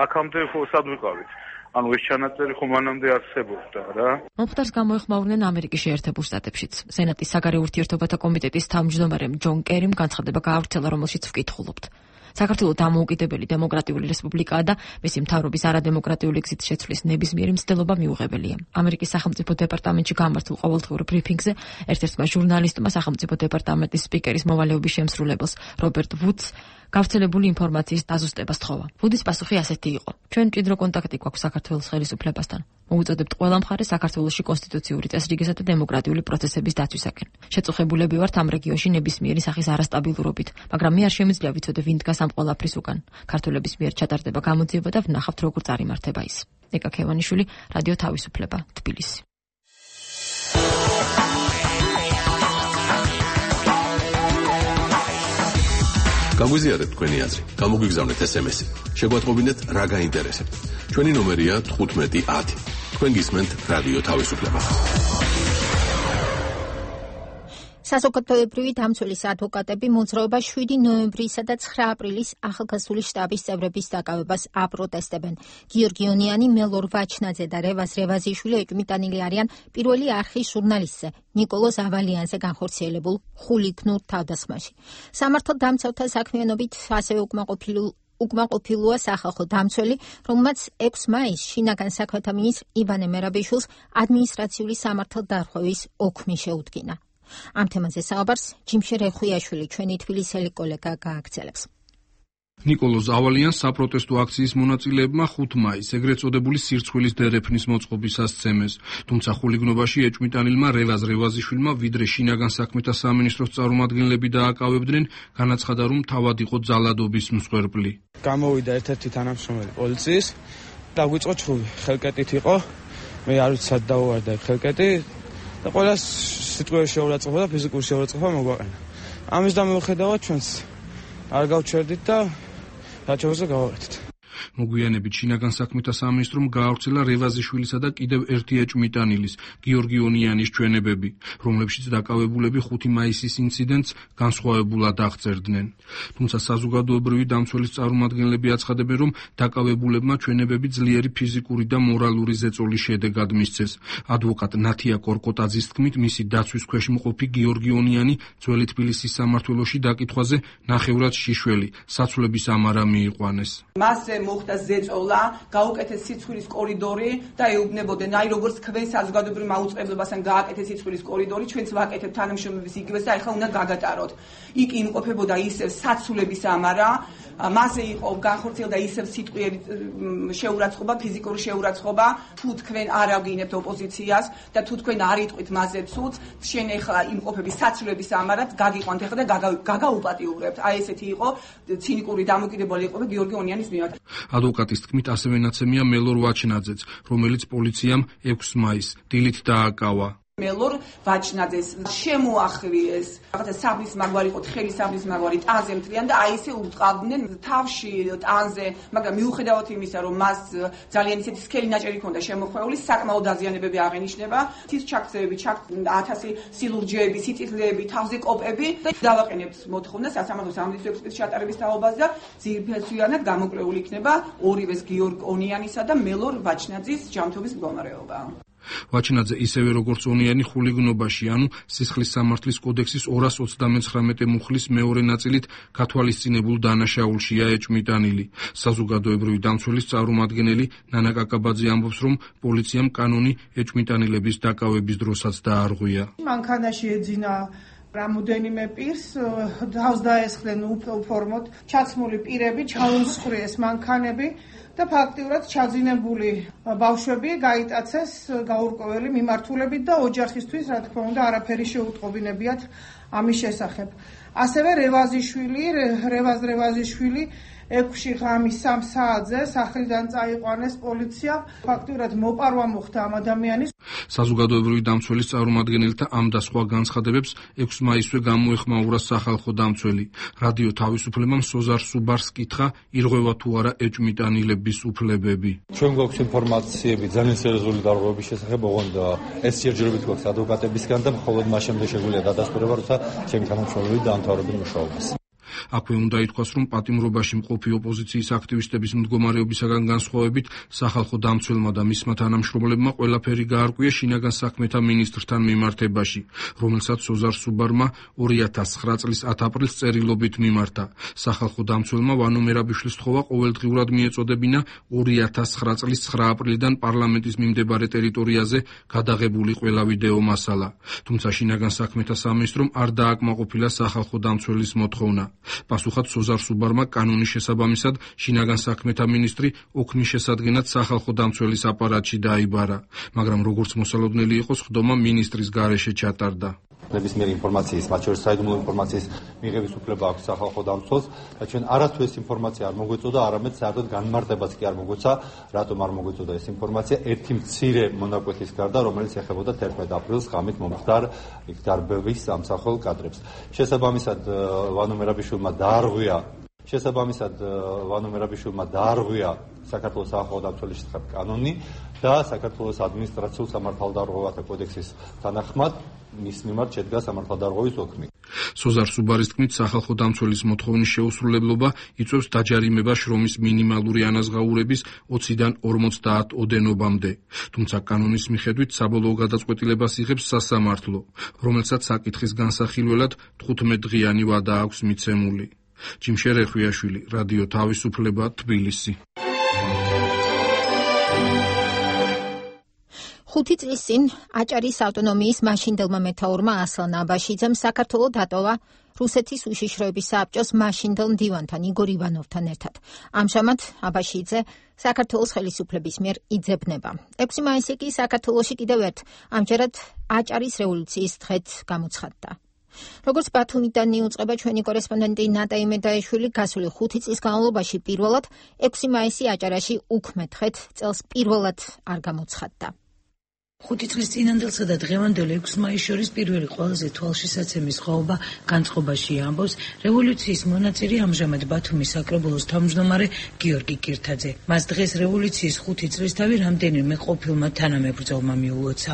აქამდე ხო სად ვიყავით? ანუ ეს ჩანაწერი ხო მანამდე არსებობდა რა. მომხდარს გამოეხმაურნენ ამერიკის შეერთებულ შტატებშიც. სენატის საგარეო ურთიერთობათა კომიტეტის თავმჯდომარემ ჯონ კერიმ განცხადება გაავრცელა, რომელშიც ვკითხულობთ. საქართველოს დამოუკიდებელი დემოკრატიული რესპუბლიკაა და მისი მთავრობის არადემოკრატიული გზით შეცვლის ნებისმიერი მცდელობა მიუღებელია. ამერიკის სახელმწიფო დეპარტამენტში გამართულ ყოველდღიურ ბრიფინგზე ერთ-ერთმა ჟურნალისტმა სახელმწიფო დეპარტამენტის სპიკერის მოვალეობის შემსრულებელს რობერტ ვუდს გავრცელებული ინფორმაციის დაზუსტებას თხოვა. ვუდის პასუხი ასეთი იყო: ჩვენ მჭიდრო კონტაქტი გვაქვს საქართველოს ხელისუფლებასთან. მოუწოდებთ ყველა მხარეს საქართველოში კონსტიტუციური წესრიგისა და დემოკრატიული პროცესების დაცვისაკენ. შეწუხებულები ვართ ამ რეგიონში ნებისმიერი სახის არასტაბილურობით, მაგრამ მე არ შემიძლია ვიცოდე ვინ დგას ამ ყველაფრის უკან. ქართველების მიერ ჩატარდება გამოძიება და ვნახავთ როგორ წარიმართება ის. ნიკა ქევანიშვილი, რადიო თავისუფლება, თბილისი. გაგვიზიარეთ თქვენი აზრი, გამოგვიგზავნეთ ეს em es-ი. შეგვატყობინეთ რა გაინტერესებთ. ჩვენი ნომერია თხუთმეტი ათი. თქვენ გისმენთ რადიო თავისუფლება. საზოგადოებრივი დამცველის ადვოკატები მოძრაობა შვიდი ნოემბრისა და ცხრა აპრილის ახალგაზრდული შტაბის წევრების დაკავებას აპროტესტებენ. გიორგი ონიანი, მელორ ვაჩნაძე და რევაზ რევაზიშვილი ეჭვმიტანილი არიან პირველი არხის ჟურნალისტზე, ნიკოლოზ ავალიანზე განხორციელებულ ხულიგნურ თავდასხმაში. სამართალ დამცავთა საქმიანობით ასევე უკმაყოფილ უკმაყოფილოა სახალხო დამცველი, რომელმაც ექვსი მაისს შინაგან საქმეთა მინისტრ ივანე მერაბიშვილს ადმინისტრაციული სამართალდარღვევის ოქმი შეუდგინა. ამ თემაზე საუბარს ჯიმშე რეხვიაშვილი, ჩვენი თბილისელი კოლეგა გააგრძელებს. ნიკოლოზ ავალიანს საპროტესტო აქციის მონაწილეებმა ხუთი მაისს ეგრეთ წოდებული სირცხვილის დერეფნის მოწყობის ასცემეს, თუმცა ხულიგნობაში ეჭვმიტანილმა რევაზ რევაზიშვილმა ვიდრე შინაგან საქმეთა სამინისტროს წარმომადგენლები დააკავებდნენ, განაცხადა, რომ თავად იყო ძალადობის მსხვერპლი. გამოვიდა ერთ-ერთი თანამშრომელი პოლიციის და გვიწყო ჩხუბი, ხელკეტით იყო, მე არ ვიცი სად დაუვარდა ხელკეტი და ყველას სიტყვიერი შეურაცხყოფა და ფიზიკური შეურაცხყოფა მოგვაყენა. ამის დამოუხედავად ჩვენს არ გავჩერდით და რაჩევაზე გავაკეთეთ. მოგვიანებით შინაგან საქმეთა სამინისტრომ გაავრცელა რევაზიშვილისა და კიდევ ერთი ეჭვმიტანილის, გიორგი ონიანის ჩვენებები, რომლებშიც დაკავებულები ხუთი მაისის ინციდენტს განსხვავებულად აღწერდნენ. თუმცა საზოგადოებრივი დამცველის წარმომადგენლები აცხადებენ, რომ დაკავებულებმა ჩვენებები ძლიერი ფიზიკური და მორალური ზეწოლის შედეგად მისცეს. ადვოკატ ნათია კორკოტაძის თქმით, მისი დაცვის ქვეშ მყოფი გიორგი ონიანი ძველი თბილისის სამმართველოში დაკითხვაზე ნახევრად შიშველი, საცვლების ამარა მიიყვანეს. მასზე მოხდა ზეწოლა, გაუკეთეს სიცხვილის კორიდორი და ეუბნებოდნენ, აი როგორც თქვენ საზოგადოებრივ მაუწყებლობასთან გააკეთეს სიცხვილის კორიდორი, ჩვენც ვაკეთებთ თანამშრომლობის იგივეს და ეხლა უნდა გაგატაროთ. იქ იმყოფებოდა ისევ საცვლების ამარა, მასზე იყო განხორციელდა ისევ სიტყვიერი შეურაცხყოფა, ფიზიკური შეურაცხყოფა, თუ თქვენ არ აგინებთ ოპოზიციას და თუ თქვენ არ იტყვით მასზე ცუდს, შენ ეხლა იმყოფების საცვლების ამარად გაგიყვანთ ეხლა და გაგაუპატიურებთ. აი ესეთი იყო ცინიკური დამოკიდებული იყო გიორგი ონიანის მიმართ. ადვოკატის თქმით, ასევე ნაცემია მელორ ვაჩნაძეც, რომელიც პოლიციამ ექვსი მაისს დილით დააკავა. მელორ ვაჩნაძეს შემოახვიეს რაღაცა საბლის მაგვარი იყო, თხელი საბლის მაგვარი ტანზე მთლიან და აი ესე უტყავდნენ თავში ტანზე, მაგრამ მიუხედავად იმისა, რომ მას ძალიან ისეთი სქელი ნაჭერი ჰქონდა შემოხვეული, საკმაოდ დაზიანებები აღენიშნება, თის ჩაქცევები, ათასი სილურჯეები, სიწითლეები, თავზე კოპები და დავაყენებთ მოთხოვნა სასამართლო სამედიცინო ექსპერტიზის ჩატარების თაობაზე და ძირფესვიანად გამოკლეული იქნება ორივეს გიორგ ონიანისა და მელორ ვაჩნაძის ჯანმრთელობის მდგომარეობა. ვაჩნაძე ისევე როგორც ონიანი ხულიგნობაში, ანუ სისხლის სამართლის კოდექსის ორას ოცდამეცხრამეტე მუხლის მეორე ნაწილით გათვალისწინებულ დანაშაულშია ეჭვმიტანილი. საზოგადოებრივი დამცველის წარმომადგენელი ნანა კაკაბაძე ამბობს, რომ პოლიციამ კანონი ეჭვმიტანილების დაკავების დროსაც დაარღვია. მანქანაში ეძინა რამოდენიმე პირს, თავს დაესხნენ უფორმოდ ჩაცმული პირები, ჩაუმსხვრიეს მანქანები და ფაქტიურად ჩაძინებული ბავშვები გაიტაცეს გაურკვეველი მიმართულებით და ოჯახისთვის, რა თქმა უნდა, არაფერი შეუტყობინებიათ ამის შესახებ. ასევე რევაზიშვილი, რევაზ რევაზიშვილი ექვსი ღამის სამ საათზე სახლიდან წაიყვანეს პოლიცია, ფაქტიურად მოპარვა მოხდა ამ ადამიანის. საზოგადოებრივი დამცველის წარმომადგენელთა ამ და სხვა განცხადებებს ექვსი მაისზე გამოეხმაურა სახალხო დამცველი. რადიო თავისუფლებამ სოზარ სუბარს კითხა, ირღვევა თუ არა ეჭვმიტანილების უფლებები. ჩვენ გვაქვს ინფორმაციები ძალიან სერიოზული დარღვევების შესახებ, ოღონდ ეს სიძულებით გვაქვს ადვოკატებისგან და მხოლოდ მას შემდეგ შეგვიძლია დადასტურება, როცა ჩემი თანამშრომლები დაამთავრებენ მუშაობას. აქვე უნდა ითქვას, რომ პატიმრობაში მყოფი ოპოზიციის აქტივისტების მდგომარეობისაგან განსხვავებით, სახალხო დამცველმა და მისმა თანამშრომლებმა ყველაფერი გაარკვია შინაგან საქმეთა მინისტრთან მიმართებაში, რომელსაც სოზარ სუბარმა ორი ათას ცხრა წლის ათ აპრილს წერილობით მიმართა. სახალხო დამცველმა ვანო მერაბიშვილს თხოვა ყოველდღიურად მიეწოდებინა ორი ათას ცხრა წლის ცხრა აპრილიდან პარლამენტის მიმდებარე ტერიტორიაზე გადაღებული ყველა ვიდეო მასალა. თუმცა შინაგან საქმეთა სამინისტრომ არ დააკმაყოფილა სახალხო დამცველის მოთხოვნა. პასუხად სოზარ სუბარმა კანონის შესაბამისად შინაგან საქმეთა მინისტრი ოქმის შესადგენად სახალხო დამცველის აპარატში დაიბარა, მაგრამ როგორც მოსალოდნელი იყო, სხდომა მინისტრის გარეშე ჩატარდა. ნებისმიერი ინფორმაციის, მათ შორის საიდუმლო ინფორმაციის მიღების უფლება აქვს სახალხო დამცველს და ჩვენ არათუ ეს ინფორმაცია არ მოგვეწოდა, არამედ საერთოდ განმარტებაც კი არ მოგვეცა, რატომ არ მოგვეწოდა ეს ინფორმაცია ერთი მცირე მონაკვეთის გარდა, რომელიც ეხებოდა თერთმეტ აპრილს ღამით მომხდარ იქ დარბევის სამსახურ კადრებს. შესაბამისად ვანო მერაბიშვილმა დაარღვია შესაბამისად ვანო მერაბიშვილმა დაარღვია საქართველოს სახალხო დამცველის შესახებ კანონი და საქართველოს ადმინისტრაციულ სამართალდარღვევათა კოდექსის თანახმად მის მიმართ შედგა სამართალდარღვევის ოქმი. სოზარ სუბარის თქმით, სახალხო დამცველის მოთხოვნის შეუსრულებლობა იწვევს დაჯარიმებას შრომის მინიმალური ანაზღაურების ოციდან ორმოცდაათ ოდენობამდე. თუმცა კანონის მიხედვით საბოლოო გადაწყვეტილებას იღებს სასამართლო, რომელსაც საკითხის განსახილველად თხუთმეტდღიანი ვადა აქვს მიცემული. ჯიმშერ ეხვიაშვილი, რადიო თავისუფლება, თბილისი. ხუთი წლის წინ აჭარის ავტონომიის მაშინდელმა მეთაურმა ასლან აბაშიძემ საქართველო დატოვა რუსეთის უშიშროების საბჭოს მაშინდელ მდივანთან იგორ ივანოვთან ერთად. ამჟამად აბაშიძე საქართველოს ხელისუფლების მიერ იძებნება. ექვსი მაისი კი საქართველოში კიდევ ერთ ამჯერად აჭარის რევოლუციის დღედ გამოცხადდა. როგორც ბათუმიდან იუწყება ჩვენი კორესპონდენტი ნატა იმედაიშვილი, გასული ხუთი წლის განმავლობაში პირველად ექვსი მაისი აჭარაში უქმე დღედ წელს პირველად არ გამოცხადდა. ხუთი წლის წინანდელსა და დღევანდელ ექვსი მაისს შორის პირველი ყველაზე თვალშისაცემი სხვაობა განწყობაში ამბობს რევოლუციის მონაწილე ამჟამად ბათუმის საკრებულოს თავმჯდომარე გიორგი კირთაძე. მას დღეს რევოლუციის ხუთი წლისთავი რამდენიმე ყოფილმა თანამებრძოლმა მიულოცა.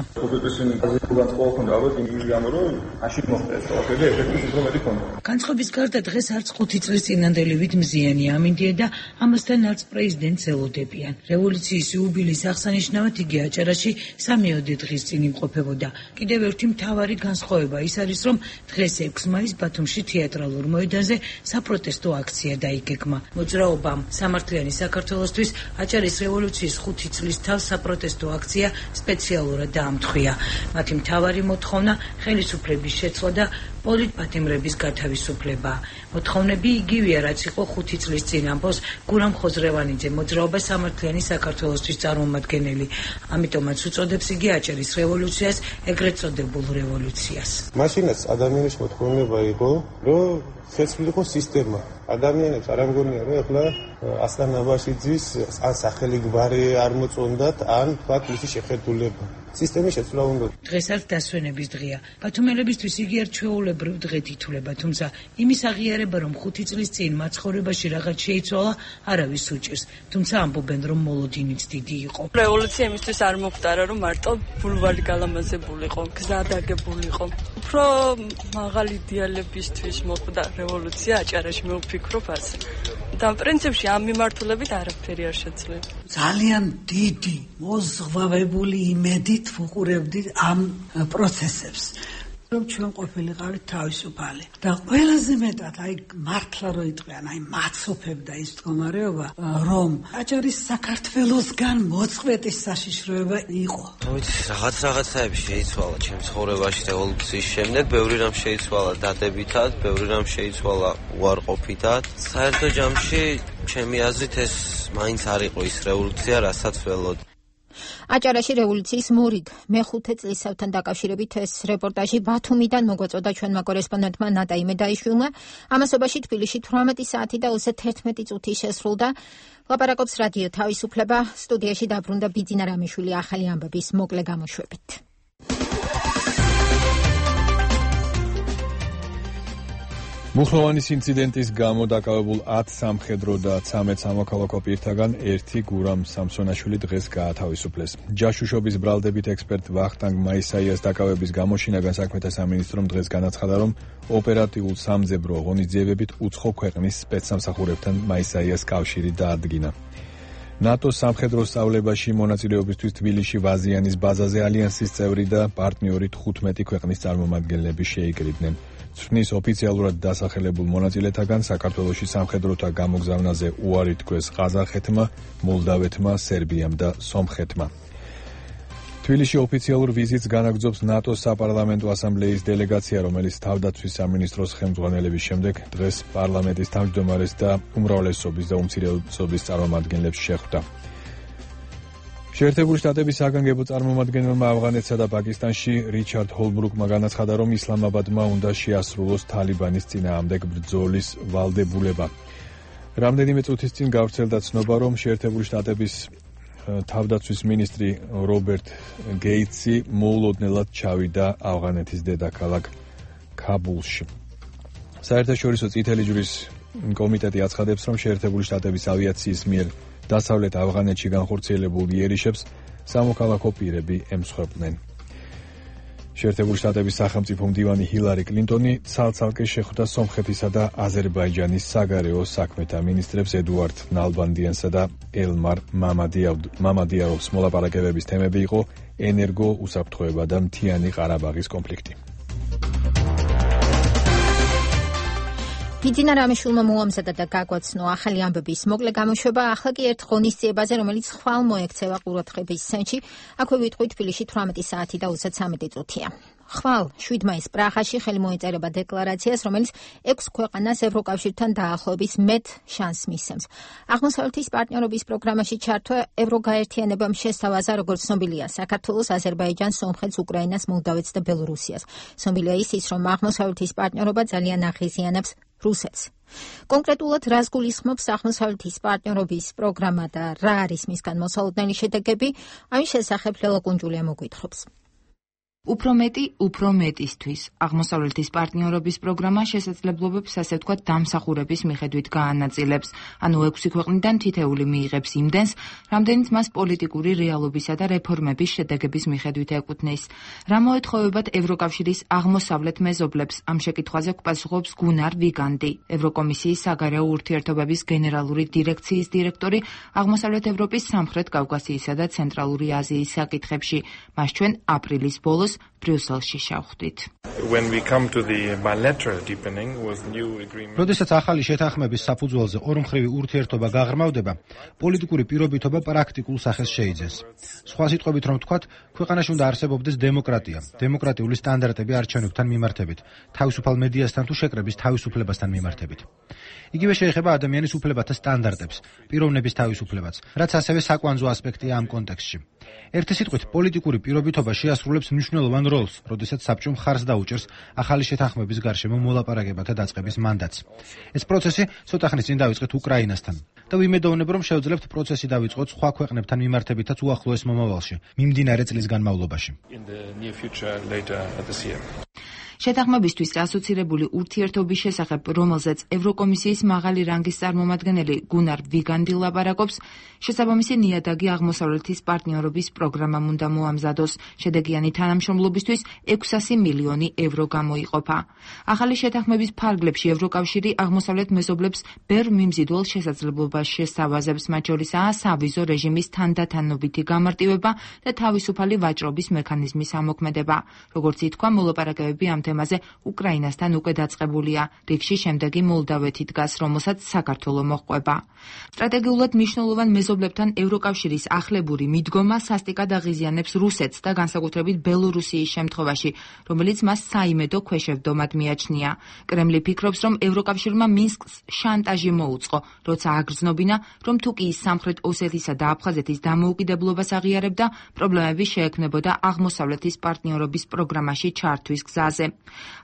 განწყობის გარდა დღეს არც ხუთი წლის წინანდელივით მზიანი ამინდია და ამასთან არც პრეზიდენტს ელოდებიან. რევოლუციის იუბილეის აღსანიშნავად იგი აჭარაში სამი დღის წინ იმყოფებოდა. კიდევ ერთი მთავარი განსხვავება ის არის, რომ დღეს ექვსი მაისს ბათუმში თეატრალურ მოედანზე საპროტესტო აქცია დაიგეგმა. მოძრაობამ სამართლიანი საქართველოსთვის აჭარის რევოლუციის ხუთი წლის თავს საპროტესტო აქცია სპეციალურად დაამთხვია. მათი მთავარი მოთხოვნა ხელისუფლების შეცვლა და პოლიტპატიმრების გათავისუფლება. მოთხოვნები იგივეა, რაც იყო ხუთი წლის წინ ამბობს გურამ ხოზრევანიძე, მოძრაობა სამართლიანი საქართველოსთვის წარმომადგენელი. ამიტომაც უწოდებს იგი აჭარის რევოლუციას ეგრეთ წოდებულ რევოლუციას. მაშინაც ადამიანის მოთხოვნება იყო, რომ შეცვლილიყო სისტემა. ადამიანებს არ ამგონია, რომ ეხლა ასლან აბაშიძის ან სახელი გვარი არ მოწონდათ, ან თქვათ მისი შეხედულება. სისტემის შეცვლა უნდა. დღეს არც დასვენების დღეა. ბათუმელებისთვის იგი არ ჩვეულებრივ დღედ ითვლება, თუმცა იმის აღიარება, რომ ხუთი წლის წინ მათ ცხოვრებაში რაღაც შეიცვალა, არავის უჭირს. თუმცა ამბობენ, რომ მოლოდინიც დიდი იყო. რევოლუცია იმისთვის არ მოხდარა, რომ მარტო ბულვარი გალამაზებულიყო, გზა დაგებულიყო. უფრო მაღალი იდეალებისთვის მოხდა რევოლუცია აჭარაში, მე ვფიქრობ ასე. და პრინციპში ამ მიმართულებით არაფერი არ შეძლება. ძალიან დიდი მოზღვავებული იმედით ვუყურებდით ამ პროცესებს. რომ ჩვენ ყოფილიყავით თავისუფალი და ყველაზე მეტად აი მართლა რო იტყვიან აი მაცოფებდა ის მდგომარეობა რომ აჭარის საქართველოსგან მოწყვეტის საშიშროება იყო. ვიცი რაღაც რაღაცაები შეიცვალა ჩემს ცხოვრებაში რევოლუციის შემდეგ, ბევრი რამ შეიცვალა დადებითად, ბევრი რამ შეიცვალა უარყოფითად. საერთო ჯამში ჩემი აზრით ეს მაინც არ იყო ის რევოლუცია, რასაც ველოდი. აჭარაში რევოლუციის მორიგ მეხუთე წლისთავთან დაკავშირებით ეს რეპორტაჟი ბათუმიდან მოგვაწოდა ჩვენმა კორესპონდენტმა ნატა იმედაიშვილმა. ამასობაში თბილისში თვრამეტი საათი და ოცდაერთმეტი წუთი შესრულდა. ლაპარაკობს რადიო თავისუფლება, სტუდიაში დაბრუნდა ბიძინა რამიშვილი ახალი ამბების მოკლე გამოშვებით. მუხროვანის ინციდენტის გამო დაკავებულ ათ სამხედრო და ცამეტ სამოქალაქო პირთაგან ერთი გურამ სამსონაშვილი დღეს გაათავისუფლეს. ჯაშუშობის ბრალდებით ექსპერტ ვახტანგ მაისაიას დაკავების გამო შინაგან საქმეთა სამინისტრომ დღეს განაცხადა, რომ ოპერატიულ სამძებრო ღონისძიებებით უცხო ქვეყნის სპეცსამსახურებთან მაისაიას კავშირი დაადგინა. ნატოს სამხედრო სწავლებაში მონაწილეობისთვის თბილისში ვაზიანის ბაზაზე ალიანსის წევრი და პარტნიორი თხუთმეტი ქვეყნის წარმომადგენლები შეიკრიბნენ. ცვლის ოფიციალურად დასახელებულ მონაწილეთაგან საქართველოში სამხედროთა გამოგზავნაზე უარი თქვეს ყაზახეთმა, მოლდავეთმა, სერბიამ და სომხეთმა. თბილისში ოფიციალურ ვიზიტს განაგრძობს ნატოს საპარლამენტო ასამბლეის დელეგაცია, რომელიც თავდაცვის სამინისტროს ხელმძღვანელების შემდეგ დღეს პარლამენტის თავმჯდომარეს და უმრავლესობის და უმცირესობის წარმომადგენლებს შეხვდა. შეერთებული შტატების საგანგებო წარმომადგენელმა ავღანეთსა და პაკისტანში რიჩარდ ჰოლბრუკმა განაცხადა, რომ ისლამაბადმა უნდა შეასრულოს თალიბანის წინააღმდეგ ბრძოლის ვალდებულება. რამდენიმე წუთის წინ გავრცელდა ცნობა, რომ შეერთებული შტატების თავდაცვის მინისტრი რობერტ გეიტსი მოულოდნელად ჩავიდა ავღანეთის დედაქალაქ ქაბულში. საერთაშორისო წითელი ჯვრის კომიტეტი აცხადებს, რომ შეერთებული შტატების ავიაციის მიერ დასავლეთ ავღანეთში განხორციელებულ იერიშებს სამოქალაქო პირები ემსხვერპლნენ. შეერთებული შტატების სახელმწიფო მდივანი ჰილარი კლინტონი ცალ-ცალკე შეხვდა სომხეთისა და აზერბაიჯანის საგარეო საქმეთა მინისტრებს ედუარდ ნალბანდიანსა და ელმარ მამადიაროვს. მოლაპარაკებების თემები იყო ენერგო უსაფრთხოება და მთიანი ყარაბაღის კონფლიქტი. ბიძინა რამიშვილმა მოამზადა და გაგვაცნო ახალი ამბების მოკლე გამოშვება. ახლა კი ერთ ღონისძიებაზე, რომელიც ხვალ მოექცევა ყურადღების ცენტრში. აქვე ვიტყვი თბილისში თვრამეტი საათი და ოცდათვრამეტი წუთია. ხვალ შვიდ მაისს პრაღაში ხელი მოეწერება დეკლარაციას, რომელიც ექვს ქვეყანას ევროკავშირთან დაახლოების მეტ შანსს მისცემს. აღმოსავლეთის პარტნიორობის პროგრამაში ჩართვა ევროგაერთიანებამ შესთავაზა, როგორც ცნობილია, საქართველოს, აზერბაიჯანს, სომხეთს, უკრაინას, მოლდავეთს და ბელორუსიას. ცნობილია ისიც, რომ აღმოსავლეთის პარტნიორობა ძალიან აღიზიანებს რუსეთს. კონკრეტულად რას გულისხმობს აღმოსავლეთის პარტნიორობის პროგრამა და რა არის მისგან მოსალოდნელი შედეგები, ამის შესახებ ლელა კუნჯულია მოგვითხრობს. უფრო მეტი, უფრო მეტისთვის. აღმოსავლეთის პარტნიორობის პროგრამა შესაძლებლობებს, ასე ვთქვათ, დამსახურების მიხედვით გაანაწილებს, ანუ ექვსი ქვეყნიდან თითეული მიიღებს იმდენს, რამდენიც მას პოლიტიკური რეალობისა და რეფორმების შედეგების მიხედვით ეკუთვნის. რა მოეთხოვებათ ევროკავშირის აღმოსავლეთ მეზობლებს, ამ შეკითხვაზე გვპასუხობს გუნარ ვიგანდი, ევროკომისიის საგარეო ურთიერთობების გენერალური დირექციის დირექტორი აღმოსავლეთ ევროპის, სამხრეთ კავკასიისა და ცენტრალური აზიის საკითხებში. მას ჩვენ აპრილის ბოლოს ბრიუსელში შევხვდით. როდესაც ახალი შეთანხმების საფუძველზე ორმხრივი ურთიერთობა გაღრმავდება, პოლიტიკური პირობითობა პრაქტიკულ სახეს შეიძენს. სხვა სიტყვებით რომ ვთქვათ, ქვეყანაში უნდა არსებობდეს დემოკრატია, დემოკრატიული სტანდარტები არჩევნებთან მიმართებით, თავისუფალ მედიასთან თუ შეკრების თავისუფლებასთან მიმართებით. იგივე შეეხება ადამიანის უფლებათა სტანდარტებს, პიროვნების თავისუფლებაც, რაც ასევე საკვანძო ასპექტია ამ კონტექსტში. ერთი სიტყვით, პოლიტიკური პირობითობა შეასრულებს მნიშვნელოვან როლს, როდესაც საბჭომ მხარს დაუჭერს ახალი შეთანხმების გარშემო მოლაპარაკებათა დაწყების მანდატს. ეს პროცესი ცოტა ხნის წინ დავიწყეთ უკრაინასთან და ვიმედოვნებ, რომ შევძლებთ პროცესი დავიწყოთ სხვა ქვეყნებთან მიმართებითაც უახლოეს მომავალში, მიმდინარე წლის განმავლობაში. შეთანხმებისთვის ასოცირებული ურთიერთობის შესახებ, რომელზეც ევროკომისიის მაღალი რანგის წარმომადგენელი გუნარ ვიგანდი ლაპარაკობს, შესაბამისი ნიადაგი აღმოსავლეთის პარტნიორობის პროგრამამ უნდა მოამზადოს. შედეგიანი თანამშრომლობისთვის ექვსასი მილიონი евро გამოიყოფა. ახალი შეთანხმების ფარგლებში ევროკავშირი აღმოსავლეთ მეზობლებს ბევრ მიმზიდველ შესაძლებლობას შესთავაზებს, მათ შორისაა სავიზო რეჟიმის თანდათანობითი გამარტივება და თავისუფალი ვაჭრობის მექანიზმის ამოქმედება. როგორც ითქვა, მოლაპარაკებები ამ თემაზე უკრაინასთან უკვე დაწყებულია. რიგში შემდეგი მოლდავეთი დგას, რომელსაც საქართველო მოჰყვება. სტრატეგიულად მნიშვნელოვან მეზობლებთან ევროკავშირის ახლებური მიდგომა სასტიკად აღიზიანებს რუსეთს და განსაკუთრებით ბელორუსიის შემთხვევაში, რომელიც მას საიმედო ქვეშევდომად მიაჩნია. კრემლი ფიქრობს, რომ ევროკავშირმა მინსკს შანტაჟი მოუწყო, როცა აგრძნობინა, რომ თუკიის სამხრეთ ოსეთისა და აფხაზეთის დამოუკიდებლობას აღიარებდა, პრობლემები შეექმნებოდა აღმოსავლეთის პარტნიორობის პროგრამაში ჩართვის გზაზე.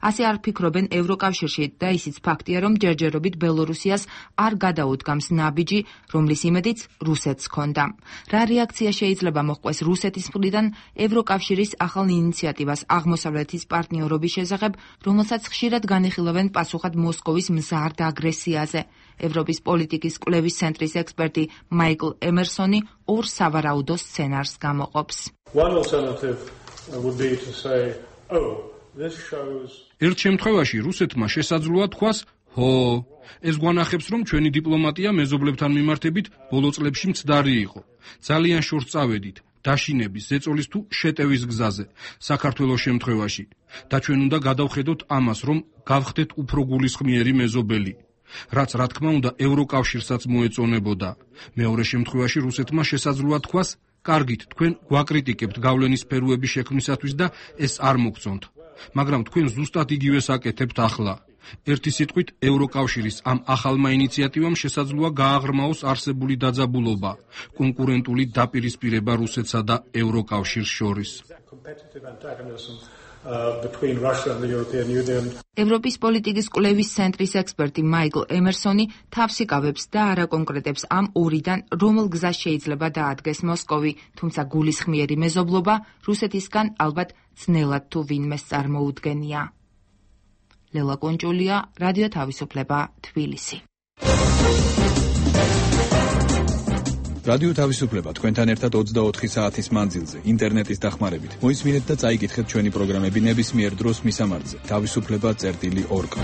ასე არ ფიქრობენ ევროკავშირში და ისიც ფაქტია, რომ ჯერჯერობით ბელორუსიას არ გადაუდგამს ნაბიჯი, რომლის იმედიც რუსეთს ჰქონდა. რა რეაქცია შეიძლება მოჰყვეს რუსეთის მხრიდან ევროკავშირის ახალ ინიციატივას აღმოსავლეთის პარტნიორობის შესახებ, რომელსაც ხშირად განიხილავენ პასუხად მოსკოვის მზარდ აგრესიაზე. ევროპის პოლიტიკის კვლევის ცენტრის ექსპერტი მაიკლ ემერსონი ორ სავარაუდო სცენარს გამოყოფს. ერთ შემთხვევაში რუსეთმა შესაძლოა თქვას, ჰო, ეს გვანახებს, რომ ჩვენი დიპლომატია მეზობლებთან მიმართებით ბოლო წლებში მცდარი იყო. ძალიან შორს წავედით დაშინების, ზეწოლის თუ შეტევის გზაზე საქართველოს შემთხვევაში და ჩვენ უნდა გადავხედოთ ამას, რომ გავხდეთ უფრო გულისხმიერი მეზობელი, რაც რა თქმა უნდა ევროკავშირსაც მოეწონებოდა. მეორე შემთხვევაში რუსეთმა შესაძლოა თქვას, კარგით, თქვენ გვაკრიტიკებთ გავლენის სფეროების შექმნისათვის და ეს არ მოგწონთ. მაგრამ თქვენ ზუსტად იგივეს აკეთებთ ახლა. ერთი სიტყვით, ევროკავშირის ამ ახალმა ინიციატივამ შესაძლოა გააღრმაოს არსებული დაძაბულობა, კონკურენტული დაპირისპირება რუსეთსა და ევროკავშირს შორის. ევროპის პოლიტიკის კვლევის ცენტრის ექსპერტი მაიკლ ემერსონი თავს იკავებს და არაკონკრეტებს ამ ორიდან რომელ გზას შეიძლება დაადგეს მოსკოვი, თუმცა გულისხმიერი მეზობლობა რუსეთისგან ალბათ ძნელად თუ ვინმეს წარმოუდგენია. ლელა კონჭულია, რადიო თავისუფლება, თბილისი. რადიო თავისუფლება თქვენთან ერთად ოცდაოთხი საათის მანძილზე, ინტერნეტის დახმარებით. მოისმინეთ და წაიკითხეთ ჩვენი პროგრამები ნებისმიერ დროს მისამართზე. თავისუფლება წერტილი ორ კ.